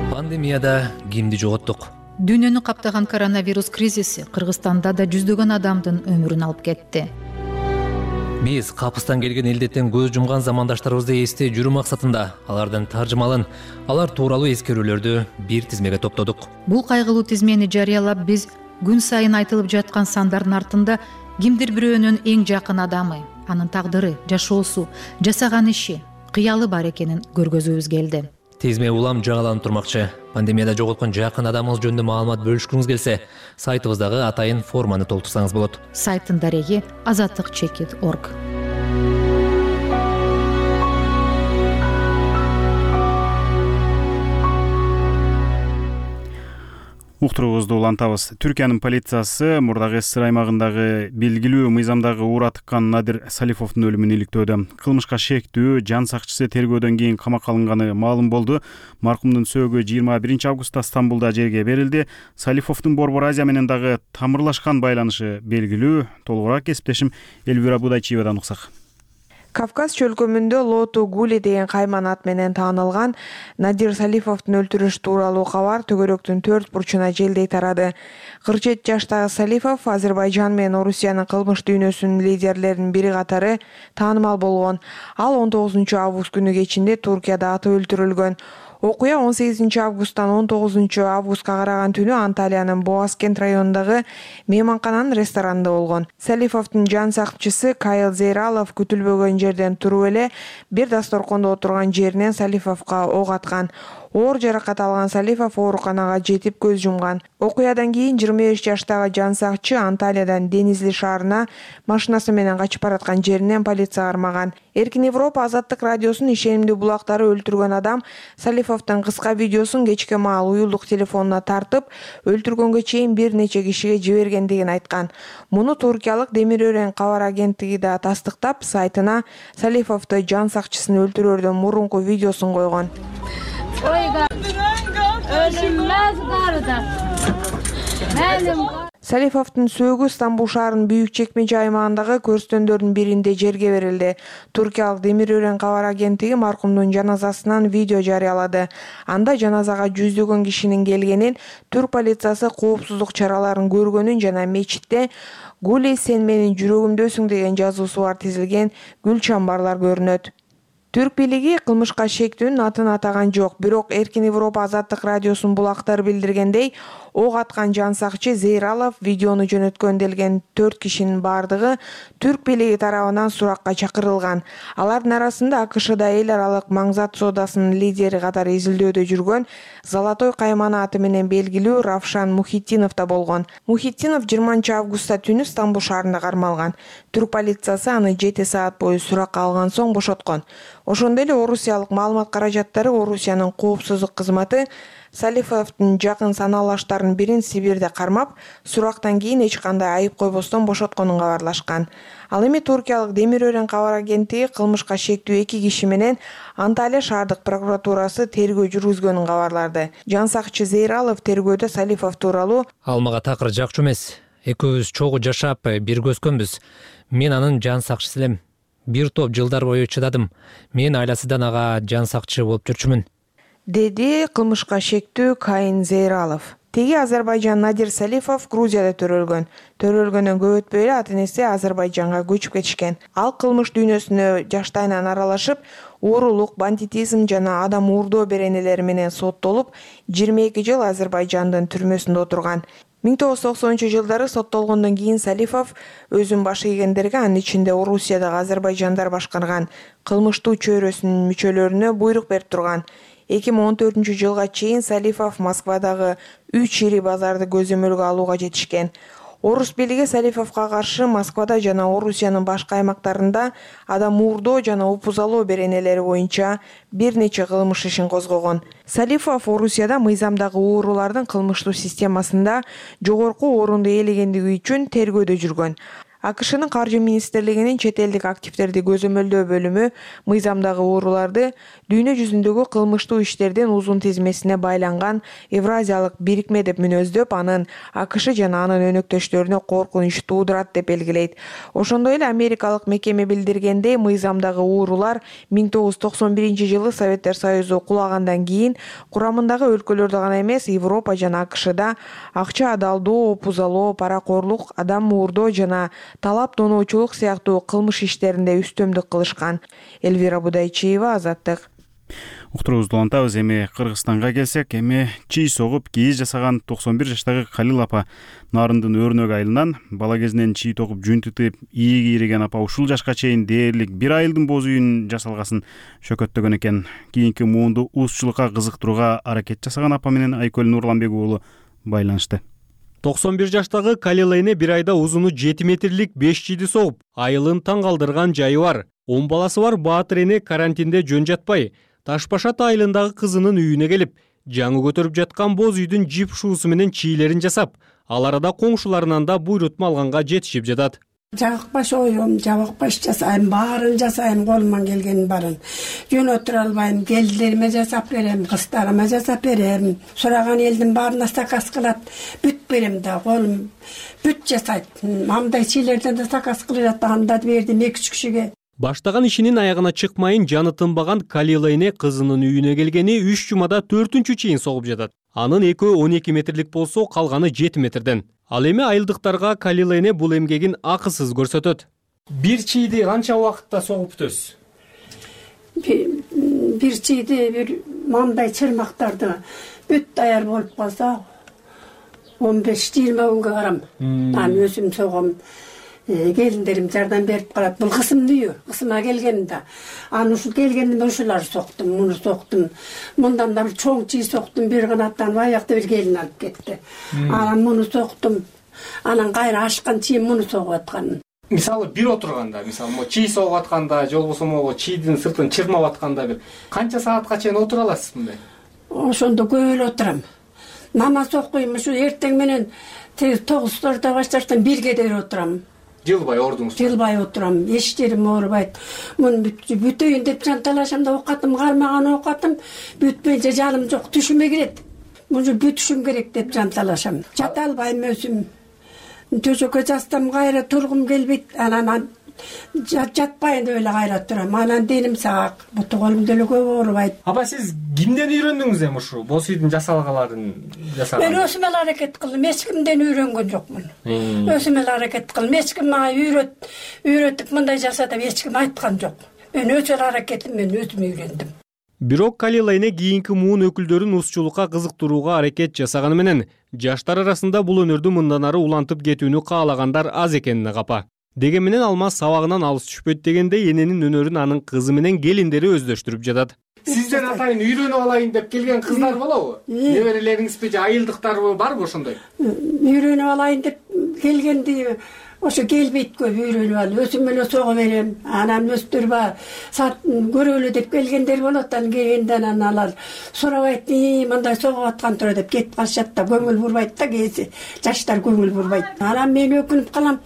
Пандемияда кимди жоготтук? Дүйнөнү каптаган коронавирус кризиси Кыргызстанда да жүздөгөн адамдын өмүрүн алып кетти. Биз капыстан келген илдеттен көз жумган замандаштарыбызды эстей жүрүү максатында алардын таржымалын, алар тууралуу эскерүүлөрдү бир тизмеге топтодук. Бул кайгылуу тизмени жарыялап, биз күн сайын айтылып жаткан сандардын артында кимдир бирөөнүн эң жакын адамы, анын тагдыры, жашоосу, жасаган иши, кыялы бар экенин көргөзүүбүз келди. Тизме улам жаңаланып турмакчы. Пандемияда жоготкон жакын адамыңыз жөнүндө маалымат бөлүшкүңүз келсе, сайтыбыздагы атайын форманы толтурсаңыз болот. Сайттын дареги azatlyk.org. Уктуруубузду улантабыз. Түркиянын полициясы Мурдагы СССР аймагындагы белгилүү мыйзамдагы уура тыккан Надир Салифовдун өлүмүн иликтөөдө. Кылмышка шектүү жан сакчысы тергөөдөн кийин камакка алынганы маалым болду. Маркумдун сөөгү 21 августта Стамбулда жерге берилди. Салифовдун Борбор Азия менен дагы тамырлашкан байланышы белгилүү. Толугураак кесиптешим Элвира Будайчиевадан уксак. Кавказ чөлкөмүндө Лоту Гули деген кайман ат менен таанылган Надир Салифовдун өлтүрүш тууралуу кабар төгөрөктүн 4 бурчуна желдей тарады. 47 жаштагы Салифов Азербайжан менен Орусиянын кылмыш дүйнөсүнүн лидерлеринин бири катары таанымал болгон. Ал 19 август күнү кечинде Туркияда атып өлтүрүлгөн. Окуя 18 августтан 19 августка караган түнү Анталиянын Боаскент районундагы мейманкананын ресторанында болгон. Салифовдун жан сакчысы Кайыл Зейралов күтүлбөгөн жерден туруп эле бир дасторкондо отурган жеринен Салифовго ок аткан. Оор жаракат алган Салифов ооруканага жетип көз жумган. Окуядан кийин 25 жаштагы жан сакчы Анталиядан Денизли шаарына машинасы менен качып бараткан жеринен полиция кармаган. Эркин Европа Азаттык радиосунун ишенимдүү булактары өлтүргөн адам Салифовдун кыска видеосун кечке маал уюлдук телефонуна тартып, өлтүргөнгө чейин бир нече кишиге жибергендигин айткан. Муну туркиялык Демир Өрен кабар агенттиги да тастыктап, сайтына Салифовду жан сакчысын өлтүрөрдөн мурунку видеосун койгон. Салифовдун сөөгү Стамбул шаарынын Büyük Çekmece аймагындагы көрстөндөрдүн биринде жерге берилди. Туркиялык Демир Өрен кабар агенттиги маркумдун жаназасынан видео жарыялады. Анда жаназага жүздөгөн кишинин келгенин, түрк полициясы коопсуздук чараларын көргөнүн жана мечитте "Гули, сен менин жүрөгүмдөсүң" деген жазуусу бар тизилген гүл чамбарлар көрүнөт. Түрк бийлиги кылмышка шектүүнүн атын атаган жок, бирок Эркин Европа Азаттык радиосунун булактары билдиргендей, ок аткан жан сакчы Зейралов видеону жөнөткөн делген 4 кишинин бардыгы түрк бийлиги тарабынан суракка чакырылган. Алардын арасында АКШда эл аралык маңзат соодасынын лидери катары изилдөөдө жүргөн Золотой кайман аты менен белгилүү Равшан Мухитдинов да болгон. Мухитдинов 20 августта түнү Стамбул шаарында кармалган. Түрк полициясы аны 7 саат бою суракка алган соң бошоткон. Ошондой эле орусиялык маалымат каражаттары Орусиянын коопсуздук кызматы Салифовдун жакын санаалаштарынын бирин Сибирде кармап, сурактан кийин эч кандай айып койбостон бошотконун кабарлашкан. Ал эми туркиялык Демир Өрен кабар агенттиги кылмышка шектүү 2 киши менен Анталия шаардык прокуратурасы тергөө жүргүзгөнүн кабарлады. Жан сакчы Зейралов тергөөдө Салифов тууралуу "Ал мага такыр жакчу эмес. Экөөбүз чогуу жашап, бир көзкөнбүз. Мен анын жан сакчысы элем. Бир топ жылдар бою чыдадым. Мен айласыдан ага жан сакчы болуп жүрчүмүн", деди кылмышка шектүү Кайын Зейралов. Теги Азербайжан Надир Салифов Грузияда төрөлгөн. Төрөлгөндөн көп өтпөй эле ата-энеси Азербайжанга көчүп кетишкен. Ал кылмыш дүйнөсүнө жаштайынан аралашып, уурулук, бандитизм жана адам уурдоо беренелери менен соттолуп, 22 жыл Азербайжандын түрмөсүндө отурган. 1990-жылдары соттолгондон кийин Салифов өзүн баш ийгендерге, анын ичинде Орусиядагы азербайжандар башкарган кылмыштуу чөйрөсүнүн мүчөлөрүнө буйрук берип турган. 2014-жылга чейин Салифов Москвадагы 3 ири базарды көзөмөлгө алууга жетишкен. Орус бийлиги Салифовго каршы Москвада жана Орусиянын башка аймактарында адам уурдоо жана упузалоо беренелери боюнча бир нече кылмыш ишин козгогон. Салифов Орусияда мыйзамдагы уурулардын кылмыштуу системасында жогорку орунду ээлегендиги үчүн тергөөдө жүргөн. АКШнын каржы министрлигинин чет элдик активдерди көзөмөлдөө бөлүмү мыйзамдагы ууруларды дүйнө жүзүндөгү кылмыштуу иштердин узун тизмесине байланган Евразиялык бирикме деп мүнөздөп, анын АКШ жана анын өнөктөштөрүнө коркунуч туудурат деп белгилейт. Ошондой эле америкалык мекеме билдиргендей, мыйзамдагы уурулар 1991-жылы Советтер Союзу кулагандан кийин курамындагы өлкөлөрдө гана эмес, Европа жана АКШда акча адалдоо, опузалоо, паракорлук, адам уурдоо жана талап тоноочулук сыяктуу кылмыш иштеринде үстөмдүк кылышкан. Элвира Будайчиева, Азаттык. Уктуруубузду улантабыз. Эми Кыргызстанга келсек, чий согуп кийиз жасаган 91 жаштагы Калил апа нарындын өрнөк айылынан бала кезинен чий тогуп жүн тытып ийи кийриген апа ушул жашка чейин дээрлик 1 айылдын боз үйүн жасалгасын шөкөттөгөн экен. Кийинки муунду узчулукка кызыктырууга аракет жасаган апа менен Айкөл Нурланбек уулу байланышты. 91 жаштагы Калил эне 1 айда узуну 7 метрлик 5 чийди согуп, айылын таң калтырган жайы бар. 10 баласы бар Баатыр эне карантинде жөн жатпай, Ташбашат айылындагы кызынын үйүнө келип, жаңы көтөрүп жаткан боз үйдүн жип шуусу менен чийлерин жасап, ал арада коңшуларынан да буйрутма алганга жетишип жатат. Жабыкпаш оюм, жабыкпаш жасайм, баарын жасайм, колуман келгенин баарын. Жөн отура албайм, келиндериме жасап берем, кыздарыма жасап берем. Сураган элдин баарына заказ кылат, бүт берем да, колум бүт жасайт. Мамдай чийлерден да заказ кылып анда бердим 2-3 кишиге. Баштаган ишинин аягына чыкмайын жаны тынбаган Калил эне кызынын үйүнө келгени 3 жумада 4-чү чейин согуп жатат. Анын экөө 12 метрлик болсо, калганы 7 метрден. Ал эми айылдыктарга Калил эне бул эмгегин акысыз көрсөтөт. Бир чийди канча убакытта согуп бүтөсүз? Бир чийди, бир мамдай чырмактарды бүт даяр болуп калса 15-20 күнгө карам. Мен өзүм согом. Келиндерим жардам берип калат. Бул кызымдын үйү, кызыма келгеним да. Аны ушул келгенден ушулар соктум, муну соктум. Мындан да бир чоң чий соктум, бир канаттан аякта бир келин алып кетти. Анан муну соктум. Анан кайра ашкан чийим муну согуп аткан. Мисалы бир отурганда, мисалы чий согуп атканда, же болбосо могу чийдин сыртын чырмап атканда бир канча саатка чейин отура аласыз мындай? Ошондо көп эле отурам. Намаз окуйм, ушу эртең менен 9:00 башташтан 1-ге дейин отурам. Жылбай ордуңуз? Жылбай отурам. Эч жерим оорубайт. Муну бүтөйүн деп жанталашам да окатым, кармаган окатым, бүтпөйүнчө жаным жок, түшүмө кирет. Муну бүтүшүм керек деп жанталашам. Жата албайм өзүм. Төшөккө жатсам кайра тургум келбейт. Анан жатпайын деп эле кайра турам. Анан деним сак, буту колум деле көп оорубайт. Апа, сиз кимден үйрөндүңүз эми ушу боз үйдүн жасалгаларын жасаганды? Мен өзүм эле аракет кылдым, эч кимден үйрөнгөн жокмун. Өзүм эле аракет кылдым, эч ким мага үйрөтүп мындай жаса деп эч ким айткан жок. Мен өз эле аракетим менен өзүм үйрөндүм. Бирок Калил эне кийинки муун өкүлдөрүн узчулукка кызыктырууга аракет жасаганы менен жаштар арасында бул өнөрдү мындан ары улантып кетүүнү каалагандар аз экенине капа. Деген менен алмаз сабагынан алыс түшпөйт дегенде эненин өнөрүн анын кызы менен келиндери өздөштүрүп жатат. Сизден атайын үйрөнүп алайын деп келген кыздар болобу? Неберелериңизби же айылдыктарбы, барбы ошондой? Үйрөнүп алайын деп келгенди ошо келбейт көп, үйрөнүп алып өзүм эле сого берем. Анан өстүрбө көрөлү деп келгендер болот, анан келгенден анан алар сурабайт, мындай согуп аткан тура деп кетип калышат да, көңүл бурбайт да, кээси жаштар көңүл бурбайт. Анан мен өкүнүп калам,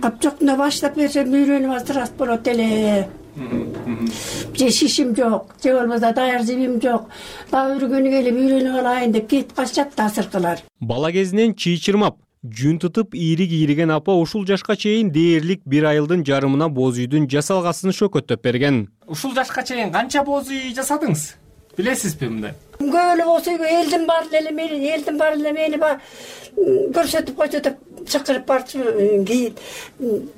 капчоктуна баштап берсем үйрөнүп алса рас болот эле. Же шишим жок, же болбосо даяр жибим жок. Дагы үргөнү келип үйрөнүп алайын деп кетип калышат да асыркылар. Бала кезинен чий чырмап, жүн тытып ийри кийриген апа ушул жашка чейин дээрлик 1 айылдын жарымына боз үйдүн жасалгасын шөкөттөп берген. Ушул жашка чейин канча боз үй жасадыңыз? Билесизби мындай? Көп эле боз үйгө элдин баары эле мени көрсөтүп койсо деп чакырып барчу,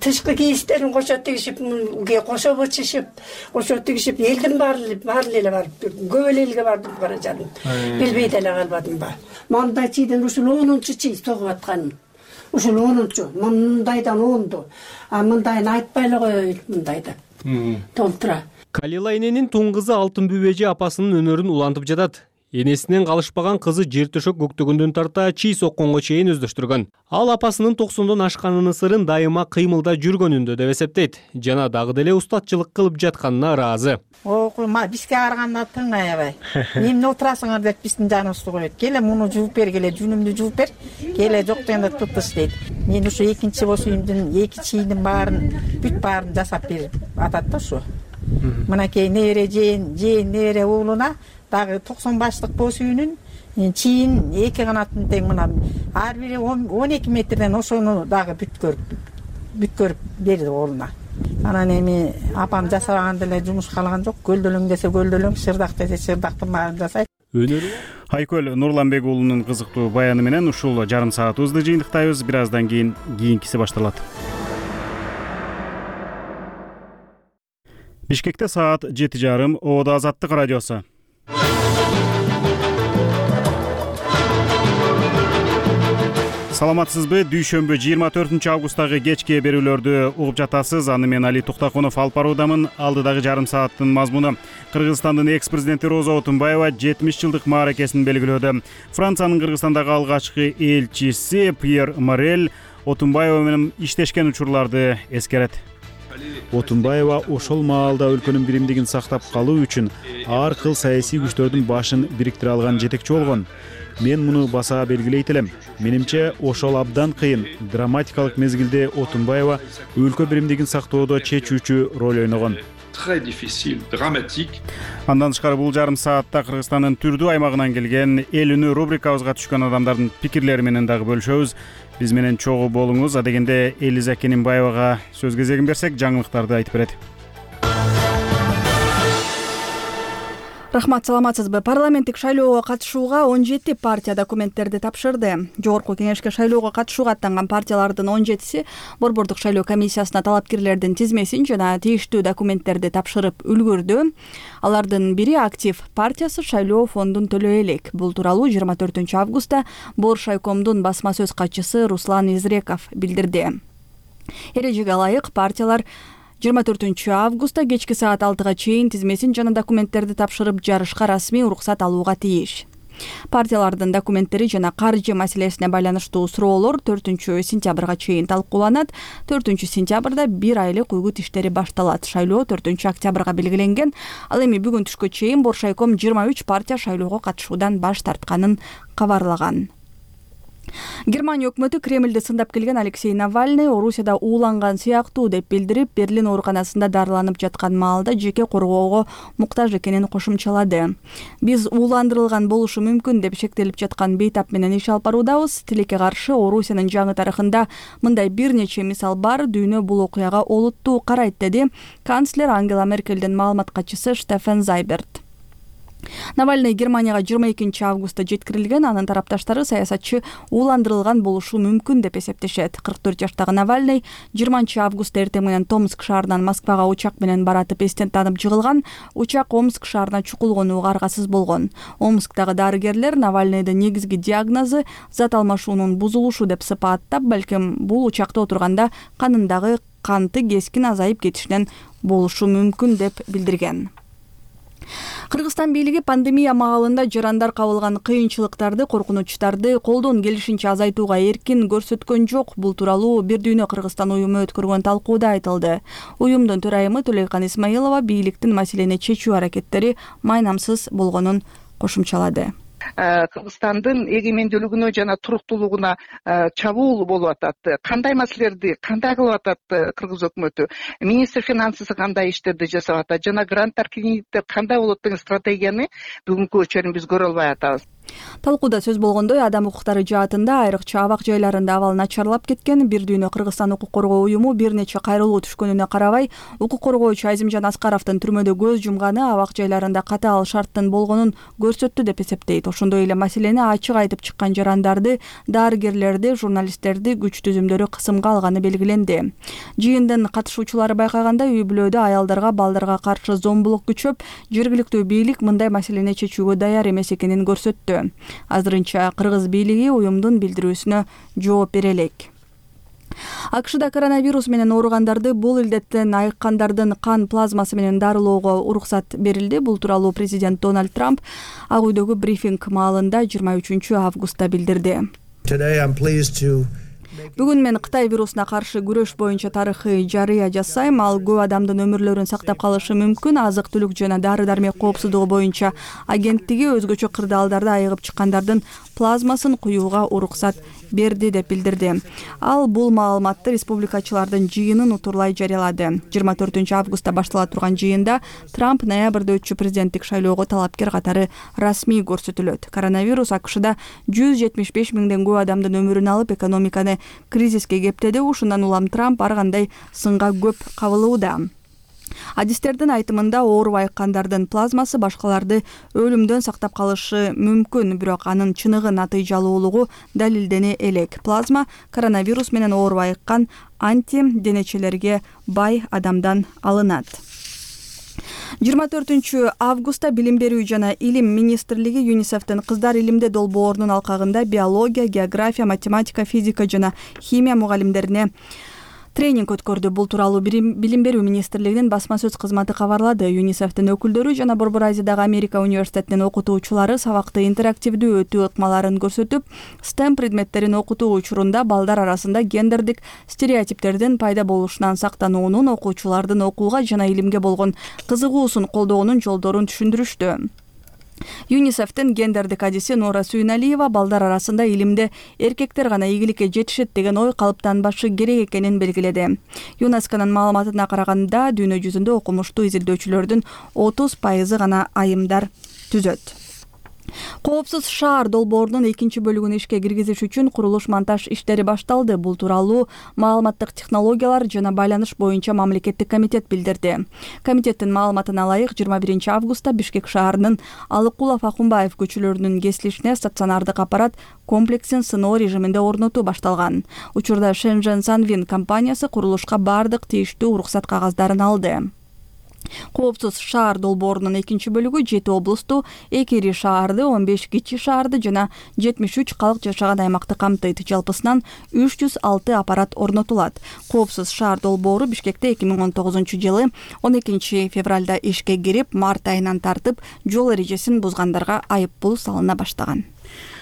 тышкы кийистерин кошо тигишип, кошо бычышып, кошо тигишип, элдин баары эле барып, көп эле элге бардым бара жаным. Билбей деле калбадым ба. Мындай чийден ушул 10-чу чий согуп атканым. Ушул 10-чу, мындайдан 10-ду. А мындайын айтпай эле коёюн, мындайда. Толтура. Калил эненин туң кызы Алтын Бүбөжи апасынын өнөрүн улантып жатат. Энесинен калышпаган кызы жер төшөк көктөгөндөн тарта чий сокконго чейин өздөштүргөн. Ал апасынын 90дон ашканынын сырын дайыма кыймылда жүргөнүндө деп эсептейт жана дагы деле устатчылык кылып жатканына ыраазы. Бизге караганда тың аябай. Эмне отурасыңар деп биздин жаныбызды коет. Келе муну жууп бер, келе жүнүмдү жууп бер. Келе жок дегенде тутуш дейт. Мен ушу экинчи бош үйүмдүн эки чийинин бүт баарын жасап берип атат да ушу. Мынакей небере жээн небере уулуна дагы 90 баштык бош үйүнүн чийин эки канатын тең мына ар бири 12 метрден ошону дагы бүт көрүп берди уулуна. Анан эми апам жасабаган деле жумуш калаган жок. Көлдөлөң десе көлдөлөң, шырдак десе шырдактын баарын жасайт. Айкөл Нурланбек уулунун кызыктуу баяны менен ушул жарым саатыбызды жыйынтыктайбыз. Бир аздан кийинкиси башталат. Бишкекте саат 7:30. Оодо Азаттык радиосу. Саламатсызбы? Дүйшөмбү 24 августтагы кечки берүүлөрдү угуп жатасыз. Аны мен Али Туктакунов алып баруудамын. Алдыдагы жарым сааттын мазмуну: Кыргызстандын экс-президенти Роза Отунбаева 70 жылдык мааракесин белгилөөдө. Франциянын Кыргызстандагы алгачкы элчиси Пьер Морель Отунбаева менен иштешкен учурларды эскерет. Отунбаева ошол маалда өлкөнүн биримдигин сактап калуу үчүн ар кыл саясий күчтөрдүн башын бириктире алган жетекчи болгон. Мен муну баса белгилейт элем. Менимче ошол абдан кыйын, драматикалык мезгилде Отунбаева өлкө биримдигин сактоодо чечүүчү роль ойногон. Андан тышкары бул жарым саатта Кыргызстандын түрдүү аймагынан келген эл үнү рубрикабызга түшкөн адамдардын пикирлери менен дагы бөлүшөбүз. Биз менен чогуу болуңуз. Адегенде Элиза Кенимбаевага сөз кезегин берсек, жаңылыктарды айтып берет. Рахмат, саламатсызбы? Парламенттик шайлоого катышууга 17 партия документтерди тапшырды. Жогорку кеңешке шайлоого катышууга аттанган партиялардын 17си Борбордук шайлоо комиссиясына талапкерлердин тизмесин жана тийиштүү документтерди тапшырып үлгүрдү. Алардын бири Актив партиясы шайлоо фондун төлөй элек. Бул тууралуу 24 августта Боршайкомдун басма сөз катчысы Руслан Изреков билдирди. Эрежеге ылайык партиялар 24 августта кечки саат 6-га чейин тизмесин жана документтерди тапшырып жарышка расмий уруксат алууга тийиш. Партиялардын документтери жана каржы маселесине байланыштуу суроолор 4 сентябрга чейин талкууланат. 4 сентябрда 1 айлык угут иштери башталат. Шайлоо 4 октябрга белгиленген. Ал эми бүгүн түшкө чейин Боршайком 23 партия шайлоого катышуудан баш тартканын кабарлаган. Германия өкмөтү Кремлди сындап келген Алексей Навальный Орусияда ууланган сыяктуу деп билдирип, Берлин ооруканасында дарыланып жаткан маалда жеке коргоого муктаж экенин кошумчалады. Биз ууландырылган болушу мүмкүн деп шектелип жаткан бейтап менен иш алып баруудабыз. Тилекке каршы Орусиянын жаңы тарыхында мындай бир нече мисал бар. Дүйнө бул окуяга олуттуу карайт, деди канцлер Ангела Меркелдин маалымат катчысы Штефен Зайберт. Навальный Германияга 22 августта жеткирилген. Анын тарапташтары саясатчы ууландырылган болушу мүмкүн деп эсептешет. 44 жаштагы Навальный 20 августта эртең менен Томск шаарынан Москвага учак менен баратып эстен таанып жыгылган. Учак Омск шаарына чукулгонууга аргасыз болгон. Омсктагы дарыгерлер Навальныйдын негизги диагнозу зат алмашуунун бузулушу деп сыпаттап, балким бул учакта отурганда канындагы канты кескин азайып кетишинен болушу мүмкүн деп билдирген. Кыргызстан бийлиги пандемия маалында жарандар кабылган кыйынчылыктарды, коркунучтарды колдон келишинче азайтууга эркин көрсөткөн жок. Бул тууралуу Бир дүйнө Кыргызстан уюму өткөргөн талкууда айтылды. Уюмдун төрайымы Төлөйкан Исмаилова бийликтин маселени чечүү аракеттери майнамсыз болгонун кошумчалады. Кыргызстандын эгемендүүлүгүнө жана туруктуулугуна чабуул болуп атат. Кандай маселелерди кандай кылып атат кыргыз өкмөтү? Министр финансысы кандай иштерди жасап атат? Жана гранттар, кредиттер кандай болот деген стратегияны бүгүнкү өчөрүн биз көрө албай атабыз. Талкууда сөз болгондой, адам укуктары жаатында айрыкча абак жайларында абал начарлап кеткен. Бир дүйнө Кыргызстан укук коргоо уюму бир нече кайрылуу түшкөнүнө карабай, укук коргоочу Азимжан Аскаровдун түрмөдө көз жумганы абак жайларында катаал шарттын болгонун көрсөттү деп эсептейт. Ошондой эле маселени ачык айтып чыккан жарандарды, дарыгерлерди, журналисттерди күч түзүмдөрү кысымга алганы белгиленди. Жыйындын катышуучулары байкагандай, үй бүлөдө аялдарга, балдарга каршы зомбулук күчөп, жергиликтүү бийлик мындай маселени чечүүгө даяр эмес экенин көрсөттү. Азырынча кыргыз бийлиги уюмдун билдирүүсүнө жооп бере элек. АКШда коронавирус менен ооругандарды бул илдеттен айыккандардын кан плазмасы менен дарылоого уруксат берилди. Бул тууралуу президент Дональд Трамп Ак үйдөгү брифинг маалында 23 августта билдирди. Бүгүн мен Кытай вирусуна каршы күрөш боюнча тарыхый жарыя жасайм. Ал көп адамдын өмүрлөрүн сактап калышы мүмкүн. Азык-түлүк жана дары-дармек коопсуздугу боюнча агенттиги өзгөчө кырдаалдарда айыгып чыккандардын плазмасын куюуга уруксат берди деп билдирди. Ал бул маалыматты республикачылардын жыйынын утурлай жарыялады. 24 августта баштала турган жыйында Трамп ноябрда өтчү президенттик шайлоого талапкер катары расмий көрсөтүлөт. Коронавирус АКШда 175 миңден көп адамдын өмүрүн алып, экономиканы кризиске кептеди. Ушундан улам Трамп ар кандай сынга көп кабылууда. Адистердин айтымында оорубай айыккандардын плазмасы башкаларды өлүмдөн сактап калышы мүмкүн, бирок анын чыныгы натыйжалуулугу далилдене элек. Плазма коронавирус менен оорубай айыккан антиденечелерге бай адамдан алынат. 24 августта Билим берүү жана илим министрлиги ЮНИСЕФтин кыздар илимде долбоорунун алкагында биология, география, математика, физика жана химия мугалимдерине тренинг өткөрдү. Бул тууралуу Билим берүү министрлигинин басма сөз кызматы кабарлады. ЮНИСЕФтин өкүлдөрү жана Борбор Азиядагы Америка университетинин окутуучулары сабакты интерактивдүү өтүү ыкмаларын көрсөтүп, STEM предметтерин окутуу учурунда балдар арасында гендердик стереотиптердин пайда болушунан сактануунун, окуучулардын окууга жана илимге болгон кызыгуусун колдоонун жолдорун түшүндүрүштү. ЮНИСЕФтин гендердик адиси Нора Сүйүналиева балдар арасында илимде эркектер гана ийгиликке жетишет деген ой калыптанбашы керек экенин белгиледи. ЮНЕСКОнун маалыматына караганда дүйнө жүзүндө окумуштуу изилдөөчүлөрдүн 30% гана айымдар түзөт. Коопсуз шаар долбоорунун экинчи бөлүгүн ишке киргизиш үчүн курулуш-монтаж иштери башталды. Бул тууралуу маалыматтык технологиялар жана байланыш боюнча мамлекеттик комитет билдирди. Комитеттин маалыматына ылайык 21 августта Бишкек шаарынын Алыкулов Акунбаев көчөлөрүнүн кесилишине стационардык аппарат комплексин сыноо режиминде орнотуу башталган. Учурда Shenzhen Sanwin компаниясы курулушка бардык тийиштүү уруксат кагаздарын алды. Коопсуз шаар долбоорунун экинчи бөлүгү 7 облусту, 2 ири шаарды, 15 кичи шаарды жана 73 калк жашаган аймакты камтыйт. Жалпысынан 306 аппарат орнотулат. Коопсуз шаар долбоору Бишкекте 2019 жылы 12 февралда ишке кирип, март айынан тартып жол эрежесин бузгандарга айып пул салына баштаган.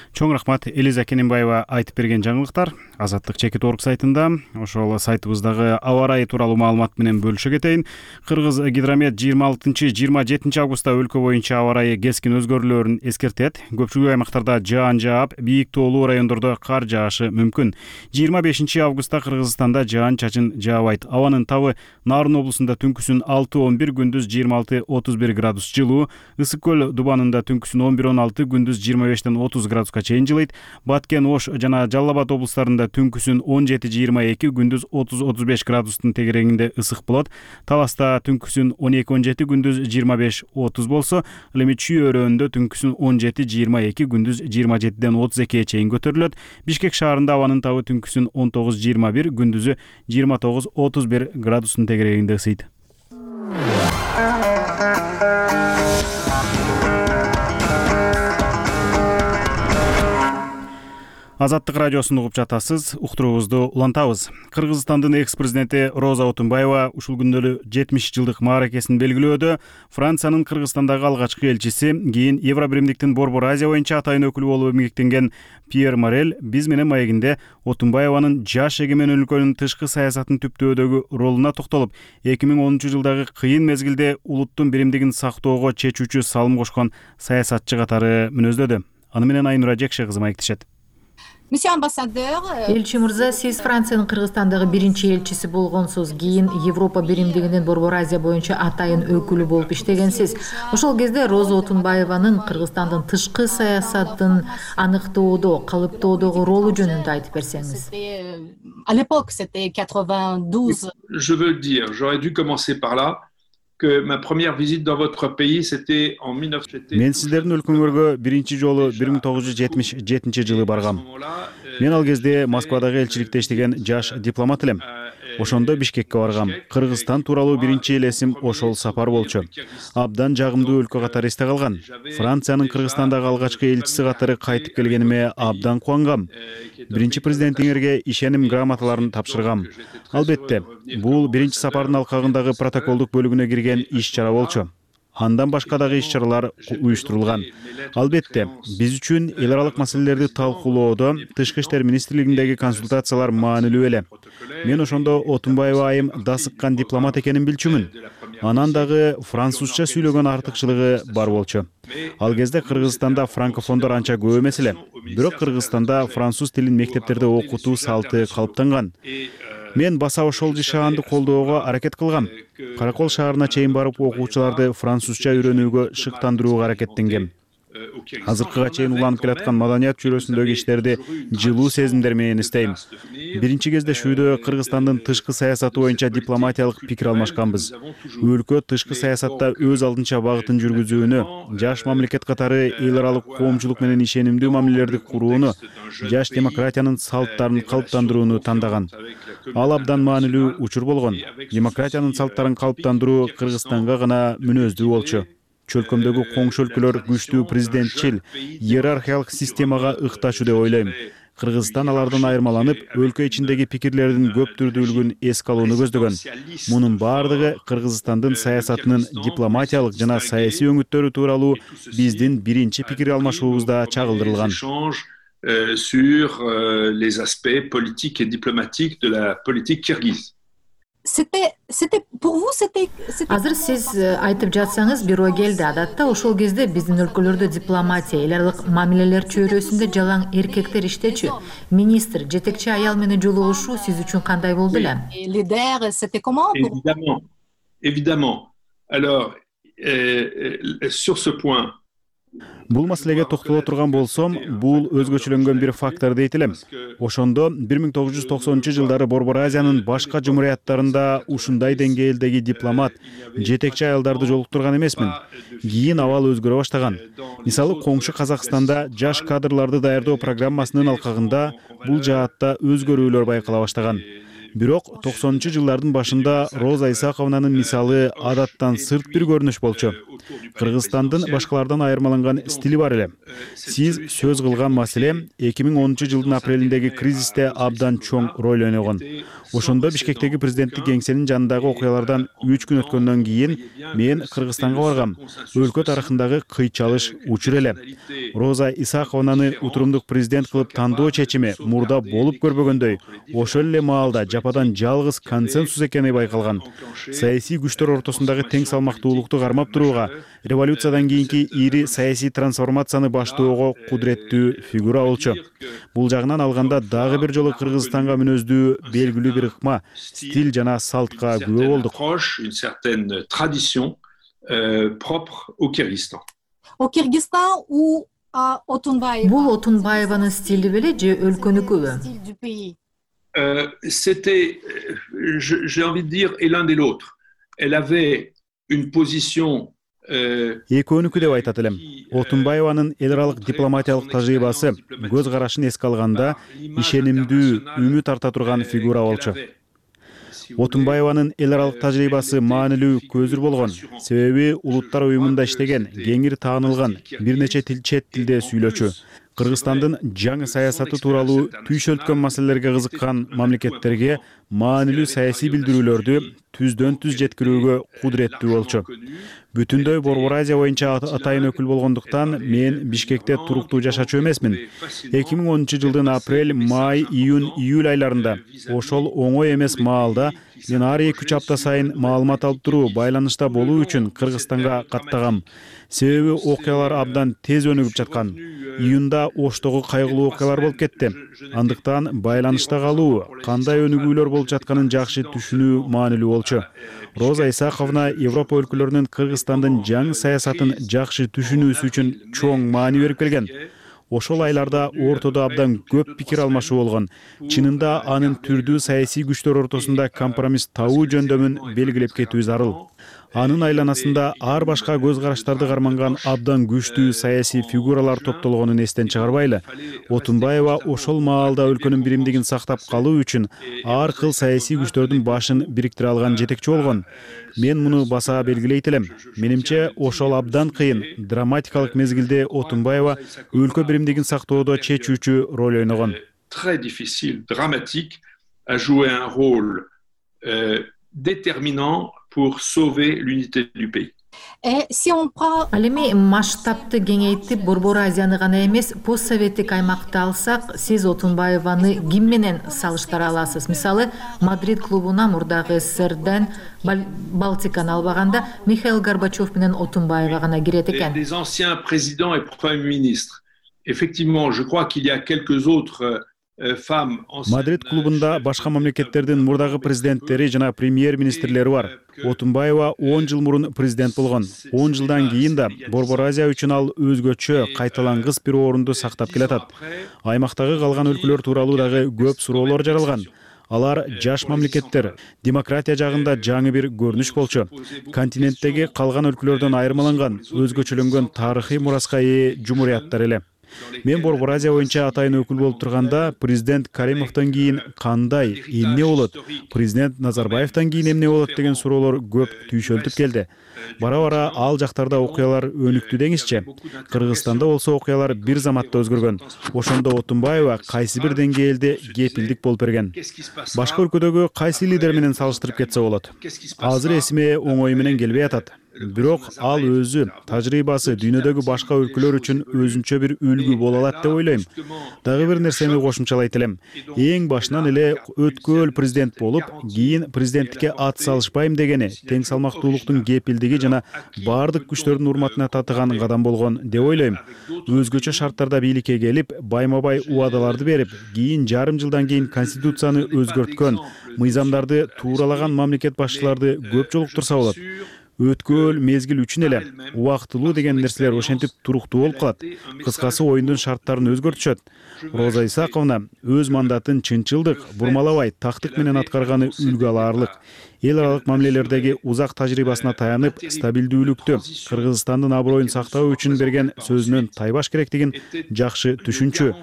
Чоң рахмат Элиза Кененбаева айтып берген жаңылыктар Азаттык чекит орг сайтында. Ошол сайтыбыздагы аба ырайы тууралуу маалымат менен бөлүшө кетейин. Кыргыз гидромет 26-27 августта өлкө боюнча аба ырайы кескин өзгөрүүлөрүн эскертет. Көпчүлүк аймактарда жаан жаап, бийик тоолуу райондордо кар жаашы мүмкүн. 25 августта Кыргызстанда жаан чачын жаабайт. Абанын табы Нарын облусунда түнкүсүн 6-11, күндүз 26-31 градус жылуу. Ысык көл Дубанында түнкүсүн 11-16, күндүз 25-30 градуска чейин жылыйт. Баткен, Ош жана Жалал Абад облустарында түнкүсүн 17-22, күндүз 30-35 градустун тегерегинде ысык болот. Таласта түнкүсүн 12-17, күндүз 25-30 болсо, ал эми Чүй өрөөнүндө түнкүсүн 17-22, күндүз 27-32 чейин көтөрүлөт. Бишкек шаарында абанын табы түнкүсүн 19-21, күндүзү 29-31 градустун тегерегинде ысыйт. Азаттык радиосун угуп жатасыз, уктуруубузду улантабыз. Кыргызстандын экс-президенти Роза Отунбаева ушул күндөрү 70 жылдык мааракесин белгилөөдө. Франциянын Кыргызстандагы алгачкы элчиси, кийин Евробиримдиктин Борбор Азия боюнча атайын өкүлү болуп эмгектенген Пьер Морель биз менен маегинде Отунбаеванын жаш эгемен өлкөнүн тышкы саясатын түптөөдөгү ролуна токтолуп, 2010 жылдагы кыйын мезгилде улуттун биримдигин сактоого чечүүчү салым кошкон саясатчы катары мүнөздөдү. Аны менен Айнура Жекше кызы маектешет. Элчи мырза, сиз Франциянын Кыргызстандагы биринчи элчиси болгонсуз. Кийин Европа биримдигинин Борбор Азия боюнча атайын өкүлү болуп иштегенсиз. Ошол кезде Роза Отунбаеванын Кыргызстандын тышкы саясатын аныктоодо, калыптоодогу ролу жөнүндө айтып берсеңиз. Je veux le dire, j'aurais dû commencer par là. Que ma première visite dans votre pays c'était en 1970. Мен сиздердин өлкөңөргө биринчи жолу 1977 жылы баргам. Мен ал кезде Москвадагы элчиликте иштеген жаш дипломат элем. Ошондо Бишкекке баргам. Кыргызстан тууралуу биринчи элесим ошол сапар болчу. Абдан жагымдуу өлкө катары эсте калган. Франциянын Кыргызстандагы алгачкы элчиси катары кайтып келгениме абдан кубангам. Биринчи президентиңерге ишеним грамоталарын тапшыргам. Албетте, бул биринчи сапардын алкагындагы протоколдук бөлүгүнө кирген иш-чара болчу. Андан башка дагы иш-чаралар уюштурулган. Албетте, биз үчүн эл аралык маселелерди талкуулоодо Тышкы иштер министрлигиндеги консультациялар маанилүү эле. Мен ошондо Отунбаева айым дасыккан дипломат экенин билчүмүн. Анан дагы французча сүйлөгөн артыкчылыгы бар болчу. Ал кезде Кыргызстанда франкофондор анча көп эмес эле. Бирок Кыргызстанда француз тилин мектептерде окутуу салты калыптанган. Мен баса ошол жашаанды колдоого аракет кылгам. Каракол шаарына чейин барып окуучуларды французча үйрөнүүгө шыктандырууга аракеттенгем. Азыркыга чейин уланып келаткан маданият чөйрөсүндөгү иштерди жылуу сезимдер менен иштейм. Биринчи кездешүүдө Кыргызстандын тышкы саясаты боюнча дипломатиялык пикир алмашканбыз. Өлкө тышкы саясатта өз алдынча багытын жүргүзүүнү, жаш мамлекет катары эл аралык коомчулук менен ишенимдүү мамилелерди курууну, жаш демократиянын салттарын калыптандырууну тандаган. Ал абдан маанилүү учур болгон. Демократиянын салттарын калыптандыруу Кыргызстанга гана мүнөздүү болчу. Чөлкөмдөгү коңшу өлкөлөр күчтүү президентчил, иерархиялык системага ыкташуу деп ойлойм. Кыргызстан алардан айырмаланып, өлкө ичиндеги пикирлердин көп түрдүүлүгүн эске алууну көздөгөн. Мунун бардыгы Кыргызстандын саясатынын дипломатиялык жана саясий өңүттөрү тууралуу биздин биринчи пикир алмашуубузда чагылдырылган. Sur les aspects politiques et diplomatiques de la politique kirghize. Азыр сиз айтып жатсаңыз бирөө келди. Адатта ошол кезде биздин өлкөлөрдө дипломатия, эл аралык мамилелер чөйрөсүндө жалаң эркектер иштечү. Министр, жетекчи аял менен жолугушуу сиз үчүн кандай болду эле? Évidemment. Alors, sur ce point, Бул маселеге токтоло турган болсом, бул өзгөчөлөнгөн бир фактор дейт элем. Ошондо 1990-жылдары Борбор Азиянын башка жумурияттарында ушундай деңгээлдеги дипломат, жетекчи аялдарды жолуктурган эмесмин. Кийин абал өзгөрө баштаган. Мисалы, коңшу Казакстанда жаш кадрларды даярдоо программасынын алкагында бул жаатта өзгөрүүлөр байкала баштаган. Бирок 90-жылдардын башында Роза Исаковнанын мисалы адаттан сырт бир көрүнүш болчу. Кыргызстандын башкалардан айырмаланган стили бар эле. Сиз сөз кылган маселе 2010-жылдын апрелиндеги кризисте абдан чоң роль ойногон. Ошондо Бишкектеги президенттик кеңсенин жанындагы окуялардан 3 күн өткөндөн кийин мен Кыргызстанга баргам. Өлкө тарыхындагы кыйчалыш учур эле. Роза Исаковнаны утурумдук президент кылып тандоо чечими мурда болуп көрбөгөндөй, ошол эле маалда жападан жалгыз консенсус экени байкалган. Саясий күчтөр ортосундагы тең салмактуулукту кармап турууга, революциядан кийинки ири саясий трансформацияны баштоого кудуреттүү фигура болчу. Бул жагынан алганда дагы бир жолу Кыргызстанга мүнөздүү белгилүү бир ыкма, стиль жана салтка күбө болдук. Une certaine tradition propre au Kyrgyzstan. Бул Отунбаеванын стили беле же өлкөнүкүбү? C'était, j'ai envie de dire, et l'un et l'autre. Elle avait une position. Экөөнүкү деп айтат элем. Отунбаеванын эл аралык дипломатиялык тажрыйбасы көз карашын эске алганда ишенимдүү, үмүт арта турган фигура болчу. Отунбаеванын эл аралык тажрыйбасы маанилүү көзүр болгон. Себеби улуттар уюмунда иштеген, кеңири таанылган, бир нече чет тилде сүйлөчү. Кыргызстандын жаңы саясаты тууралуу түйшөлткөн маселелерге кызыккан мамлекеттерге маанилүү саясий билдирүүлөрдү түздөн түз жеткирүүгө кудуреттүү болчу. Бүтүндөй Борбор Азия боюнча атайын өкүл болгондуктан мен Бишкекте туруктуу жашачу эмесмин. 2010-жылдын апрель, май, июнь, июль айларында ошол оңой эмес маалда мен ар 2 апта сайын маалымат алып туруу, байланышта болуу үчүн Кыргызстанга каттагам. Себеби окуялар абдан тез өнүгүп жаткан. Июнда Оштогу кайгылуу окуялар болуп кетти. Андыктан байланышта калуу, кандай өнүгүүлөр болуп жатканын жакшы түшүнүү маанилүү болчу. Роза Исаковна Европа өлкөлөрүнүн Кыргызстандын жаңы саясатын жакшы түшүнүүсү үчүн чоң маани берип келген. Ошол айларда ортодо абдан көп пикир алмашуу болгон. Чынында анын түрдүү саясий күчтөр ортосунда компромисс табуу жөндөмүн белгилеп кетүү зарыл. Анын айланасында ар башка көз караштарды карманган абдан күчтүү саясий фигуралар топтолгонун эстен чыгарбайлы. Отунбаева ошол маалда өлкөнүн биримдигин сактап калуу үчүн ар кыл саясий күчтөрдүн башын бириктире алган жетекчи болгон. Мен муну баса белгилейт элем. Менимче ошол абдан кыйын, драматикалык мезгилде Отунбаева өлкө биримдигин сактоодо чечүүчү роль ойногон. Très difficile, dramatique, a joué un rôle déterminant pour sauver l'unité du pays. Ал эми масштабты кеңейтип Борбор Азияны гана эмес, постсоветтик аймакты алсак, сиз Отунбаеваны ким менен салыштыра аласыз? Мисалы, Мадрид клубуна мурдагы СССРден Балтиканы албаганда Михаил Горбачев менен Отунбаева гана кирет экен. Des anciens présidents et premiers ministres. Effectivement, je crois qu'il y a quelques autres Мадрид клубунда башка мамлекеттердин мурдагы президенттери жана премьер-министрлери бар. Отунбаева 10 жыл мурун президент болгон. 10 жылдан кийин да Борбор Азия үчүн ал өзгөчө кайталангыс бир орунду сактап келатат. Аймактагы калган өлкөлөр тууралуу дагы көп суроолор жаралган. Алар жаш мамлекеттер, демократия жагында жаңы бир көрүнүш болчу. Континенттеги калган өлкөлөрдөн айырмаланган, өзгөчөлөнгөн тарыхый мураска ээ жумурияттар эле. Мен Борбор Азия боюнча атайын өкүл болуп турганда, президент Каримовдон кийин кандай, эмне болот? Президент Назарбаевдон кийин эмне болот деген суроолор көп түйшөлтүп келди. Бара-бара ал жактарда окуялар өнүктү деңизчи. Кыргызстанда болсо окуялар бир заматта өзгөргөн. Ошондо Отунбаева кайсы бир деңгээлде кепилдик болуп берген. Башка өлкөдөгү кайсы лидер менен салыштырып кетсе болот? Азыр эсиме оңой менен келбей атат. Бирок ал өзү тажрыйбасы дүйнөдөгү башка өлкөлөр үчүн өзүнчө бир үлгү боло алат деп ойлойм. Дагы бир нерсени кошумчалайт элем. Эң башынан эле өткөл президент болуп, кийин президенттикке ат салышпайм дегени тең салмактуулуктун кепилдиги жана баардык күчтөрдүн урматына татыган кадам болгон деп ойлойм. Өзгөчө шарттарда бийликке келип, байма-бай убадаларды берип, кийин жарым жылдан кийин конституцияны өзгөрткөн, мыйзамдарды тууралаган мамлекет башчыларды көп жолуктурса болот. Өткөл мезгил үчүн эле убактылуу деген нерселер ошентип туруктуу болуп калат. Кыскасы оюндун шарттарын өзгөртүшөт. Роза Исаковна өз мандатын чынчылдык, бурмалабай, тактык менен аткарганы үлгү алаарлык. Эл аралык мамилелердеги узак тажрыйбасына таянып, стабилдүүлүктү, Кыргызстандын аброюн сактоо үчүн берген сөзүнөн тайбаш керектигин жакшы түшүнчү.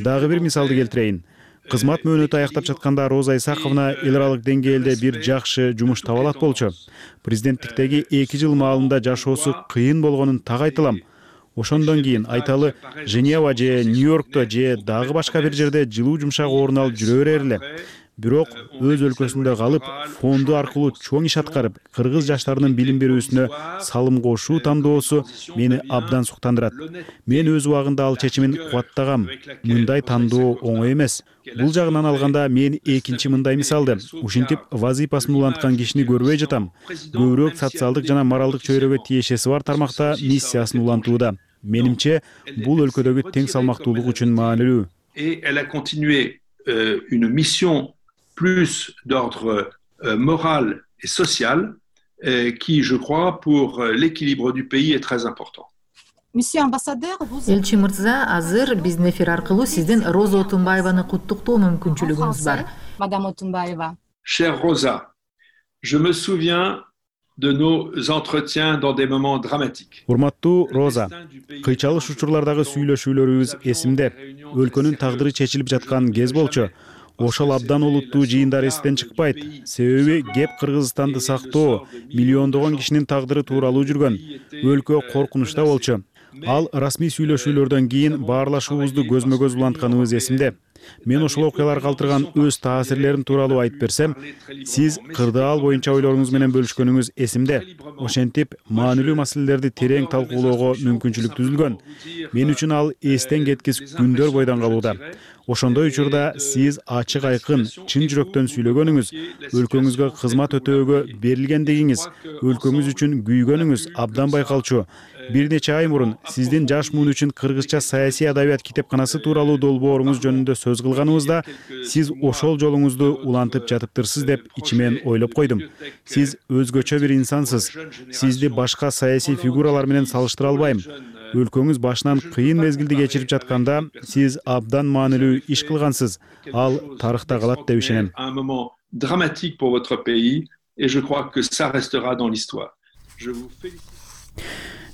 Дагы бир мисалды келтирейин. Кызмат мөөнөтү аяктап жатканда Роза Исаковна эл аралык деңгээлде бир жакшы жумуш таба алат болчу. Президенттиктеги 2 жыл маалында жашоосу кыйын болгонун так айтылам. Ошондон кийин айталы Женева же Нью-Йоркто же дагы башка бир жерде жылуу жумшак орун алып жүрө берер эле. Бирок өз өлкөсүндө калып, фонду аркылуу чоң иш аткарып, кыргыз жаштарынын билим берүүсүнө салым кошуу тандоосу мени абдан суктандырат. Мен өз убагында ал чечимин кубаттагам. Мындай тандоо оңой эмес. Бул жагынан алганда мен экинчи мындай мисалды, ушинтип вазыйпасын уланткан кишини көрбөй жатам. Көбүрөөк социалдык жана моралдык чөйрөгө тиешеси бар тармакта миссиясын улантууда. Менимче, бул өлкөдөгү тең салмактуулук үчүн маанилүү. Et elle a continué une mission plus d'ordre moral et social qui, je crois, pour l'équilibre du pays est très important. Элчи мырза, азыр биздин эфир аркылуу сиздин Роза Отунбаеваны куттуктоо мүмкүнчүлүгүңүз бар. Madame Otunbayeva. Chère Rosa, je me souviens de nos entretiens dans des moments dramatiques. Урматтуу Роза, кыйчалыш учурлардагы сүйлөшүүлөрүбүз эсимде. Өлкөнүн тагдыры чечилип жаткан кез болчу. Ошол абдан олуттуу жыйындар эстен чыкпайт. Себеби кеп Кыргызстанды сактоо, миллиондогон кишинин тагдыры тууралуу жүргөн. Өлкө коркунучта болчу. Ал расмий сүйлөшүүлөрдөн кийин баарлашуубузду көзмө-көз улантканыбыз эсимде. Мен ошол окуялар калтырган өз таасирлерим тууралуу айтып берсем, сиз кырдаал боюнча ойлоруңуз менен бөлүшкөнүңүз эсимде. Ошентип, маанилүү маселелерди терең талкуулоого мүмкүнчүлүк түзүлгөн. Мен үчүн ал эстен кеткис күндөр бойдон калууда. Ошондой учурда сиз ачык айкын, чын жүрөктөн сүйлөгөнүңүз, өлкөңүзгө кызмат өтөөгө берилгендигиңиз, өлкөңүз үчүн күйгөнүңүз абдан байкалчу. Бир нече ай мурун сиздин жаш муун үчүн кыргызча саясий адабият китепканасы тууралуу долбооруңуз жөнүндө сөз кылганыбызда, сиз ошол жолуңузду улантып жатыптырсыз деп ичимен ойлоп койдум. Сиз өзгөчө бир инсансыз. Сизди башка саясий фигуралар менен салыштыра албайм. өлкөңүз башынан кыйын мезгилди кечирип жатканда сиз абдан маанилүү иш кылгансыз. Ал тарыхта калат деп ишенем. Un moment dramatique pour votre pays et je crois que ça restera dans l'histoire. Je vous félicite.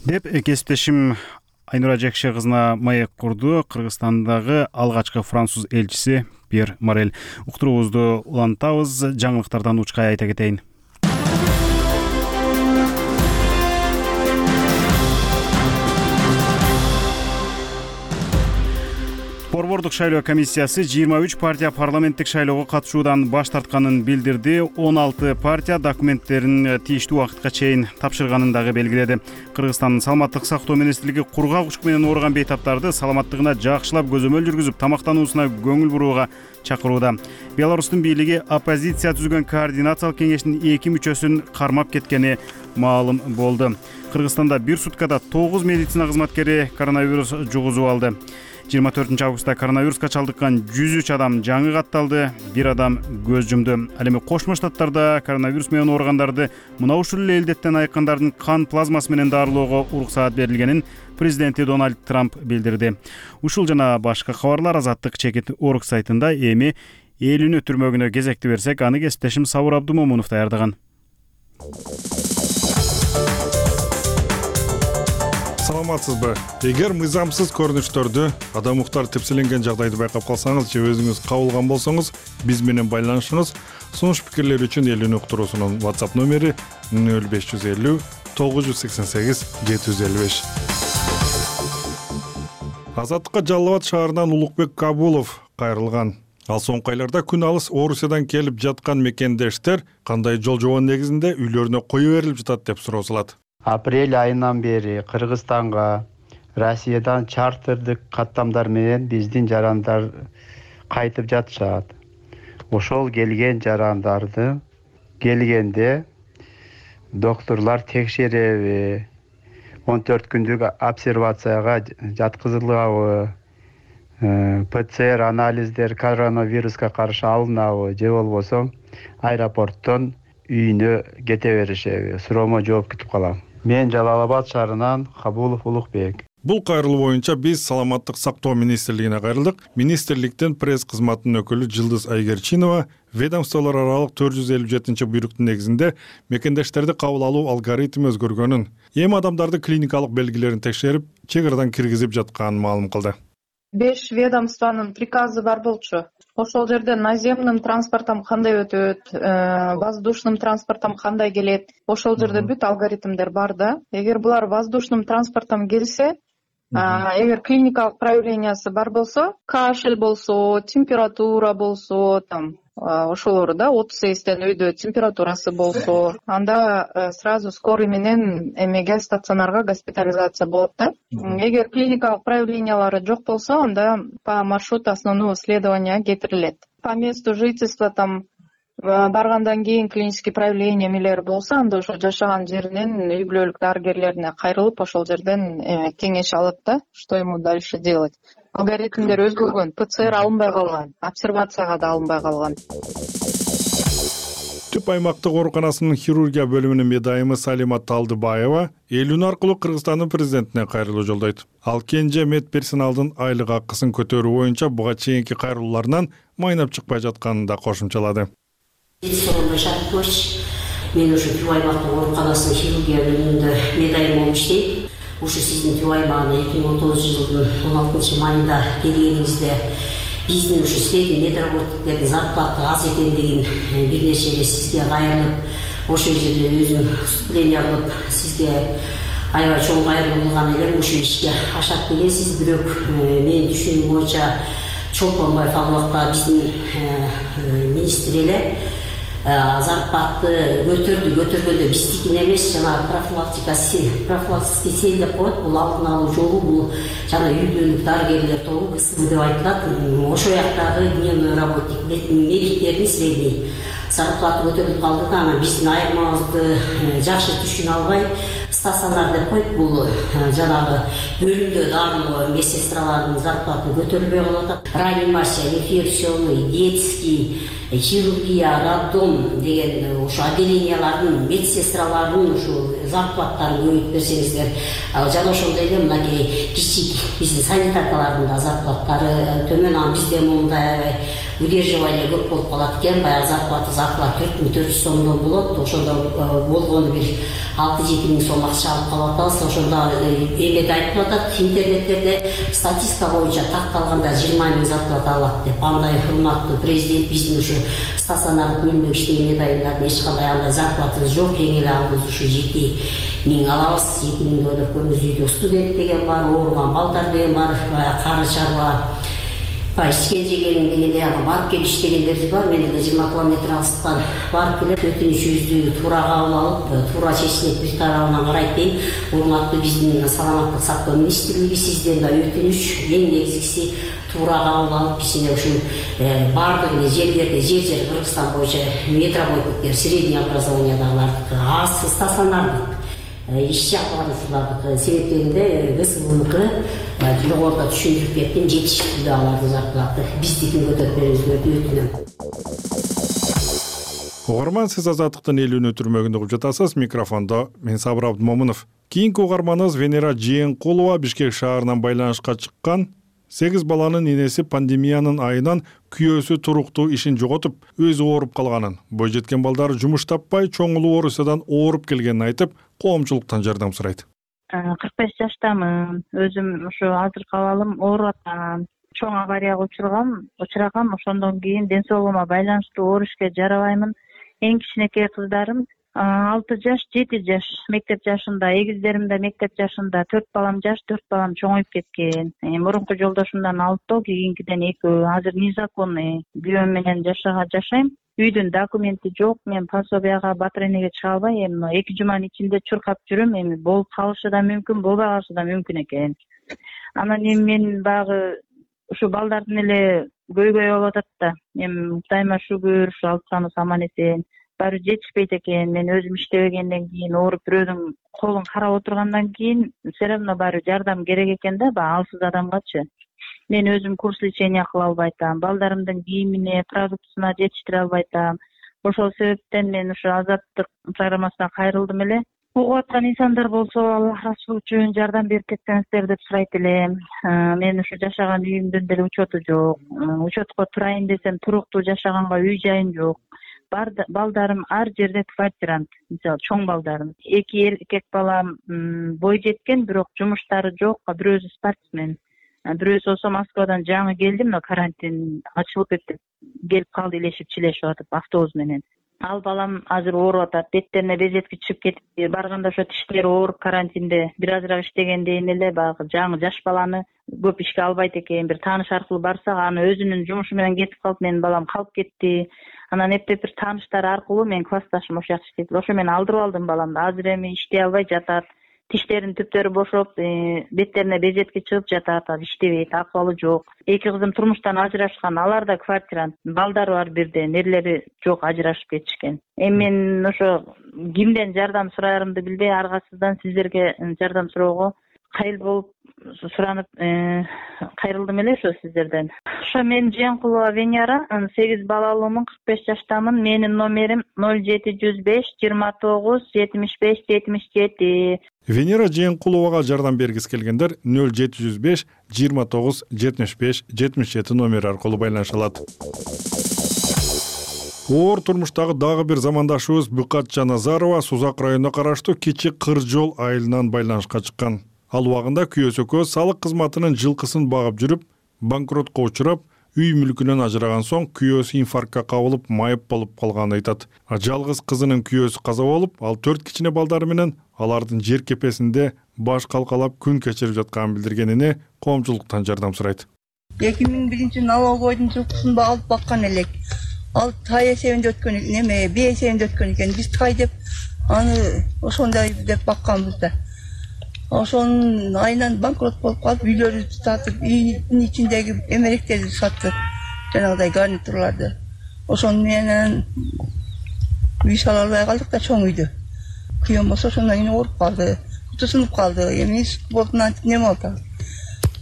Деп кесиптешим Айнура Жекше кызына маек курду Кыргызстандагы алгачкы француз элчиси Пьер Морель. Уктуруубузду улантабыз, жаңылыктардан учкай айта кетейин. Борбордук шайлоо комиссиясы 23 партия парламенттик шайлоого катышуудан баш тартканын билдирди. 16 партия документтерин тийиштүү убакытка чейин тапшырганын дагы белгиледи. Кыргызстандын саламаттык сактоо министрлиги кургак учук менен ооруган бейтаптарды саламаттыгына жакшылап көзөмөл жүргүзүп, тамактануусуна көңүл бурууга чакырууда. Беларустун бийлиги оппозиция түзгөн координациялык кеңештин 2 мүчөсүн кармап кеткени маалым болду. Кыргызстанда бир суткада 9 медицина кызматкери коронавирус жугузуп алды. 24 августта коронавируска чалдыккан 103 адам жаңы катталды, бир адам көз жумду. Ал эми Кошмо Штаттарда коронавирус менен ооругандарды мына ушул элдеттен айыккандардын кан плазмасы менен дарылоого уруксаат берилгенин президенти Дональд Трамп билдирди. Ушул жана башка кабарлар Азаттык чекит орг сайтында. Эми эл үнү түрмөгүнө кезекти берсек, аны кесиптешим Сабыр Абдумомунов даярдаган. Саламатсызбы? Эгер мыйзамсыз көрүнүштөрдү, адам укуктары тепселенген жагдайды байкап калсаңыз же өзүңүз кабылган болсоңуз, биз менен байланышыңыз. Сунуш пикирлер үчүн эл үнү уктуруусунун WhatsApp номери 0550 988 755. Азаттыкка Жалал Абад шаарынан Улукбек Кабулов кайрылган. Ал соңку айларда күн алыс Орусиядан келип жаткан мекендештер кандай жол жобон негизинде үйлөрүнө кое берилип жатат деп суроо салат. Апрель айынан бери Кыргызстанга Россиядан чартердик каттамдар менен биздин жарандар кайтып жатышат. Ошол келген жарандарды келгенде докторлор текшереби, 14 күндүк обсервацияга жаткызылабы, ПЦР анализдер коронавируска каршы алынабы же болбосо аэропорттон үйүнө кете беришеби? Суроомо жооп күтүп калам. Мен Жалал Абад шаарынан Кабулов Улукбек. Бул кайрылуу боюнча биз саламаттык сактоо министрлигине кайрылдык. Министрликтин пресс кызматынын өкүлү Жылдыз Айгерчинова ведомстволор аралык 457-буйруктун негизинде мекендештерди кабыл алуу алгоритми өзгөргөнүн, эми адамдарды клиникалык белгилерин текшерип, чек арадан киргизип жатканын маалым кылды. 5 ведомствонун приказы бар болчу. Ошол жерде наземным транспортом кандай өтөт, воздушным транспортом кандай келет, ошол жерде бүт алгоритмдер бар да. Эгер булар воздушным транспортом келсе, эгер клиникалык проявлениясы бар болсо, кашель болсо, температура болсо, ошолор да 38ден өйдө температурасы болсо, анда сразу скорый менен эмеге стационарга госпитализация болот да. Эгер клиникалык проявлениялары жок болсо, анда по маршруту основного исследования кетирилет. По месту жительства баргандан кийин клинический проявление эмелер болсо, анда ошо жашаган жеринен үй бүлөлүк дарыгерлерине кайрылып, ошол жерден кеңеш алат да, что ему дальше делать. Алгоритмдер өзгөргөн, ПЦР алынбай калган, обсервацияга да алынбай калган. Түп аймактык ооруканасынын хирургия бөлүмүнүн медайымы Салима Талдыбаева эл үнү аркылуу Кыргызстандын президентине кайрылуу жолдойт. Ал кенже медперсоналдын айлык акысын көтөрүү боюнча буга чейинки кайрылууларынан майнап чыкпай жатканын да кошумчалады. Мен ушу түп аймактык ооруканасынын хирургия бөлүмүндө медайым болуп иштейм. Ушу сиздин түп аймагына 2019 жылдын 16 майында келгениңизде биздин ушу средний медработниктердин зарплаты аз экендигин бир нече эле сизге кайрылып, ошол жерде өзүм выступление кылып, сизге аябай чоң кайрылуу кылган элем. Ушу ишке ашат келесиз, бирок менин түшүнүгүм боюнча Чолпонбаев ал убакта биздин министр эле зарплаты көтөргөндө биздикин эмес, жана профилактический сел деп коет. Бул алдын алуу жолу, бул жана үй бүлөлүк дарыгерлер тобу КСМ деп айтылат. Ошол жактагы дневной работник медиктердин средний зарплаты көтөрүлүп калды да, анан биздин айырмабызды жакшы түшүнө албай стационар деп коет. Бул жанагы бөлүмдө дарылоо медсестралардын зарплаты көтөрүлбөй калып атат. Реанимация, инфекционный, детский хирургия, роддом деген ошо отделениялардын медсестралардын ушу зарплаттарын көбөйтүп берсеңиздер, жана ошондой эле мынакей кичик биздин санитаркалардын да зарплаттары төмөн, анан бизде мындай удерживание көп болуп калат экен, баягы зарплата 4400 сомдон болот, ошондо болгону бир 6-7 миң сом акча алып калып атабыз. Ошондо эмеде айтып атат интернеттерде, статистика боюнча такталганда 20 миң зарплата алат деп. Андай урматтуу президент биздин ушу стационардык бөлмөдө иштеген айындардын эч кандай андай зарплатабыз жок, эң эле албыз ушу 7 миң алабыз. 2 миңди ойлоп көрүңүз, үйдө студент деген бар, ооруган балдар деген бар, кары чарба ичкен жегенин дегенде барып келип иштегендер бар. Мен деле 20 километр алыстан барып келип өтүнүчүбүздү туура кабыл алып, туура чечилип бир тарабынан карайт дейм. Урматтуу биздин саламаттык сактоо министрлиги, сизден да өтүнүч, эң негизгиси туура кабыл алып, кичине ушу бардык эле жерлерде жер Кыргызстан боюнча метрополиттер, средний образованиядагылардыкы аз стационардык иш жакпарушулардыкы себептегенде ГСУнукы жогоруда түшүндүрүп кеттим, жетиштүү алардын зарплаты. Биздикин көтөрүп бериңиздерди өтүнөм. Угарман, сиз Азаттыктын элүүнү түрмөгүндө угуп жатасыз. Микрофондо мен Сабыр Абдымомунов. Кийинки угарманыбыз Венера Жээнкулова Бишкек шаарынан байланышка чыккан. 8 баланын энеси пандемиянын айынан күйөөсү туруктуу ишин жоготуп, өзү ооруп калганын, бой жеткен балдары жумуш таппай, чоң оорусудан ооруп келгенин айтып, коомчулуктан жардам сурайт. 45 жаштамын. Өзүм ушу азыркы абалым ооруп атам. Чоң аварияга учурагам. Ошондон кийин ден соолугума байланыштуу оор ишке жарабаймын. Эң кичинекей кыздарым 6 жаш, 7 жаш мектеп жашында, эгиздерим да мектеп жашында, 4 балам жаш, 4 балам чоңоюп кеткен. Мурунку жолдошумдан 6, кийинкиден 2. Азыр незаконный күйөөм менен жашайм. Үйдүн документи жок, мен пособияга, батренеге чыга албай, эми 2 жуманын ичинде чуркап жүрөм. Эми болуп калышы да мүмкүн, болбой калышы да мүмкүн экен. Анан эми мен багы ушу балдардын эле көйгөйү болуп атат да. Эми Кудайыма шүгүр, ушу алсамыз аман эсен. Баары жетишпейт экен. Мен өзүм иштебегенден кийин, ооруп бирөөнүн колун карап отургандан кийин, все равно баары жардам керек экен да, баягы алсыз адамгачы. Мен өзүм курс лечения кыла албай атам, балдарымдын кийимине, продуктусуна жетиштире албай атам. Ошол себептен мен ушу Азаттык программасына кайрылдым эле. Угуп аткан инсандар болсо, Аллах расул үчүн жардам берип кетсеңиздер деп сурайт элем. Мен ушу жашаган үйүмдүн деле учету жок. Учетко турайын десем, туруктуу жашаганга үй жайым жок. Балдарым ар жерде квартирант, мисалы чоң балдарым. 2 эркек балам бой жеткен, бирок жумуштары жок, бирөөсү спортсмен. Бирөөсү болсо Москвадан жаңы келди, мына карантин ачылып келип калды, илешип чилешип атып автобус менен. Ал балам азыр ооруп атат, беттерине безетки чыгып кетип, барганда ошо тиштери ооруп карантинде бир азыраак иштегендейин эле баягы жаңы жаш баланы көп ишке албайт экен. Бир тааныш аркылуу барсак, аны өзүнүн жумушу менен кетип калып, менин балам калып кетти. Анан эптеп бир тааныштар аркылуу мен классташым ошол жакта иштейт. Ошо мен алдырып алдым баламды. Азыр эми иштей албай жатат. Тиштеринин түптөрү бошоп, беттерине безетки чыгып жатат, иштебейт, акыбалы жок. 2 кызым турмуштан ажырашкан, алар да квартирант, балдары бар бирден, эрлери жок, ажырашып кетишкен. Эми мен ошо кимден жардам сураарымды билбей, аргасыздан сиздерге жардам суроого кайыл болуп суранып кайрылдым эле ошо сиздерден. Ошо мен Жээнкулова Венера, 8 балалуумун, 45 жаштамын. Менин номерим 0705 29 75 77. Венера Жээнкуловага жардам бергиси келгендер 0705 29 75 77 номери аркылуу байланыша алат. Оор турмуштагы дагы бир замандашыбыз Быкат Жаназарова Сузак районуна караштуу Кичи Кыржол айылынан байланышка чыккан. Ал убагында күйөөсү салык кызматынын жылкысын багып жүрүп, банкротко учурап, үй мүлкүнөн ажыраган соң күйөөсү инфарктка кабылып, майып болуп калганын айтат. Жалгыз кызынын күйөөсү каза болуп, ал 4 кичине балдары менен алардын жер кепесинде баш калкалап күн кечирип жатканын билдиргенине коомчулуктан жардам сурайт. 2001 налоговойдун жылкысын алып баккан элек. Ал тай эсебинде өткөн экен, бий эсебинде өткөн экен. Биз тай деп аны ошондой деп бакканбыз да. Ошонун айынан банкрот болуп калып, үйлөрү сатып, үйдүн ичиндеги эмеректерди саттык, жанагыдай гарнитурларды. Ошону менен үй сала албай калдык да, чоң үйдү. Күйөөм болсо ошондон кийин ооруп калды, куту сынып калды. Эми болду, антип неме болду.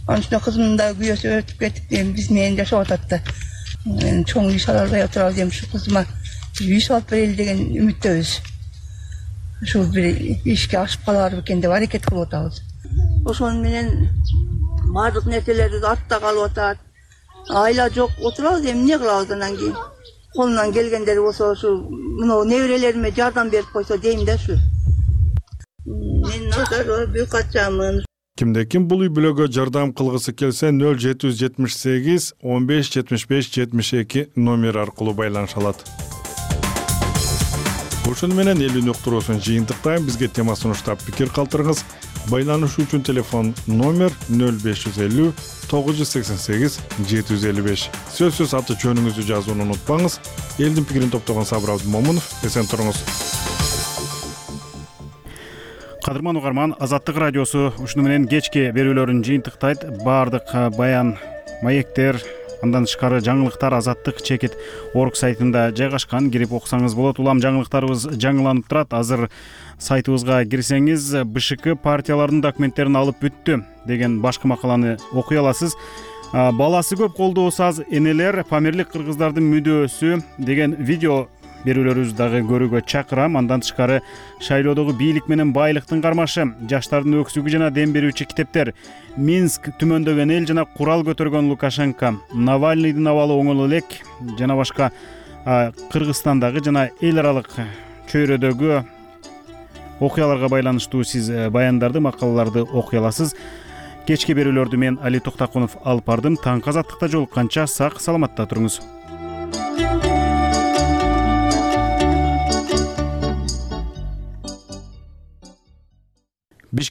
Анын үстүнө кызымдын да күйөөсү өтүп кетип, биз менен жашап атат да. Мен чоң үй сала албай отурабы дейм, ушу кызыма үй салып берели деген үмүттөбүз. Ушу бир ишке ашып калар бекен деп аракет кылып атабыз. Ошону менен баардык нерселер артта калып атат. Айла жок отурабыз, эми эмне кылабыз анан кийин? Колунан келгендер болсо ушу мына неберелериме жардам берип койсо дейм да ушу. Мен Назарова Бюкатчамын. Кимде ким бул үй бүлөгө жардам кылгысы келсе 0778 15 75 72 номер аркылуу байланыша алат. Ошону менен эл үнү уктуруусун жыйынтыктайм. Бизге тема сунуштап пикир калтырыңыз. Байланышуу үчүн телефон номер 0550 988 755. Сөзсүз аты жөнүңүздү жазууну унутпаңыз. Элдин пикирин топтогон Сабыр Абдымомунов, эсен туруңуз. Кадырман угарман, Азаттык радиосу ушуну менен кечки берүүлөрүн жыйынтыктайт. Баардык баян, маектер, андан тышкары жаңылыктар Азаттык чекит орг сайтында жайгашкан. Кирип окусаңыз болот. Улам жаңылыктарыбыз жаңыланып турат. Азыр сайтыбызга кирсеңиз БШК партиялардын документтерин алып бүттү деген башкы макаланы окуй аласыз. Баласы көп колдоо саз энелер, Памирлик кыргыздардын мүдөөсү деген видео берүүлөрүбүздү дагы көрүүгө чакырам. Андан тышкары шайлоодогу бийлик менен байлыктын кармашы, жаштардын өксүгү жана дем берүүчү китептер, Минск түмөндөгөн эл жана курал көтөргөн Лукашенко, Навальныйдын абалы оңол элек жана башка Кыргызстандагы жана эл аралык чөйрөдөгү окуяларга байланыштуу сиз баяндарды, макалаларды окуй аласыз. Кечки берүүлөрдү мен Али Токтакунов алып бардым. Таңкы Азаттыкта жолукканча сак саламатта туруңуз.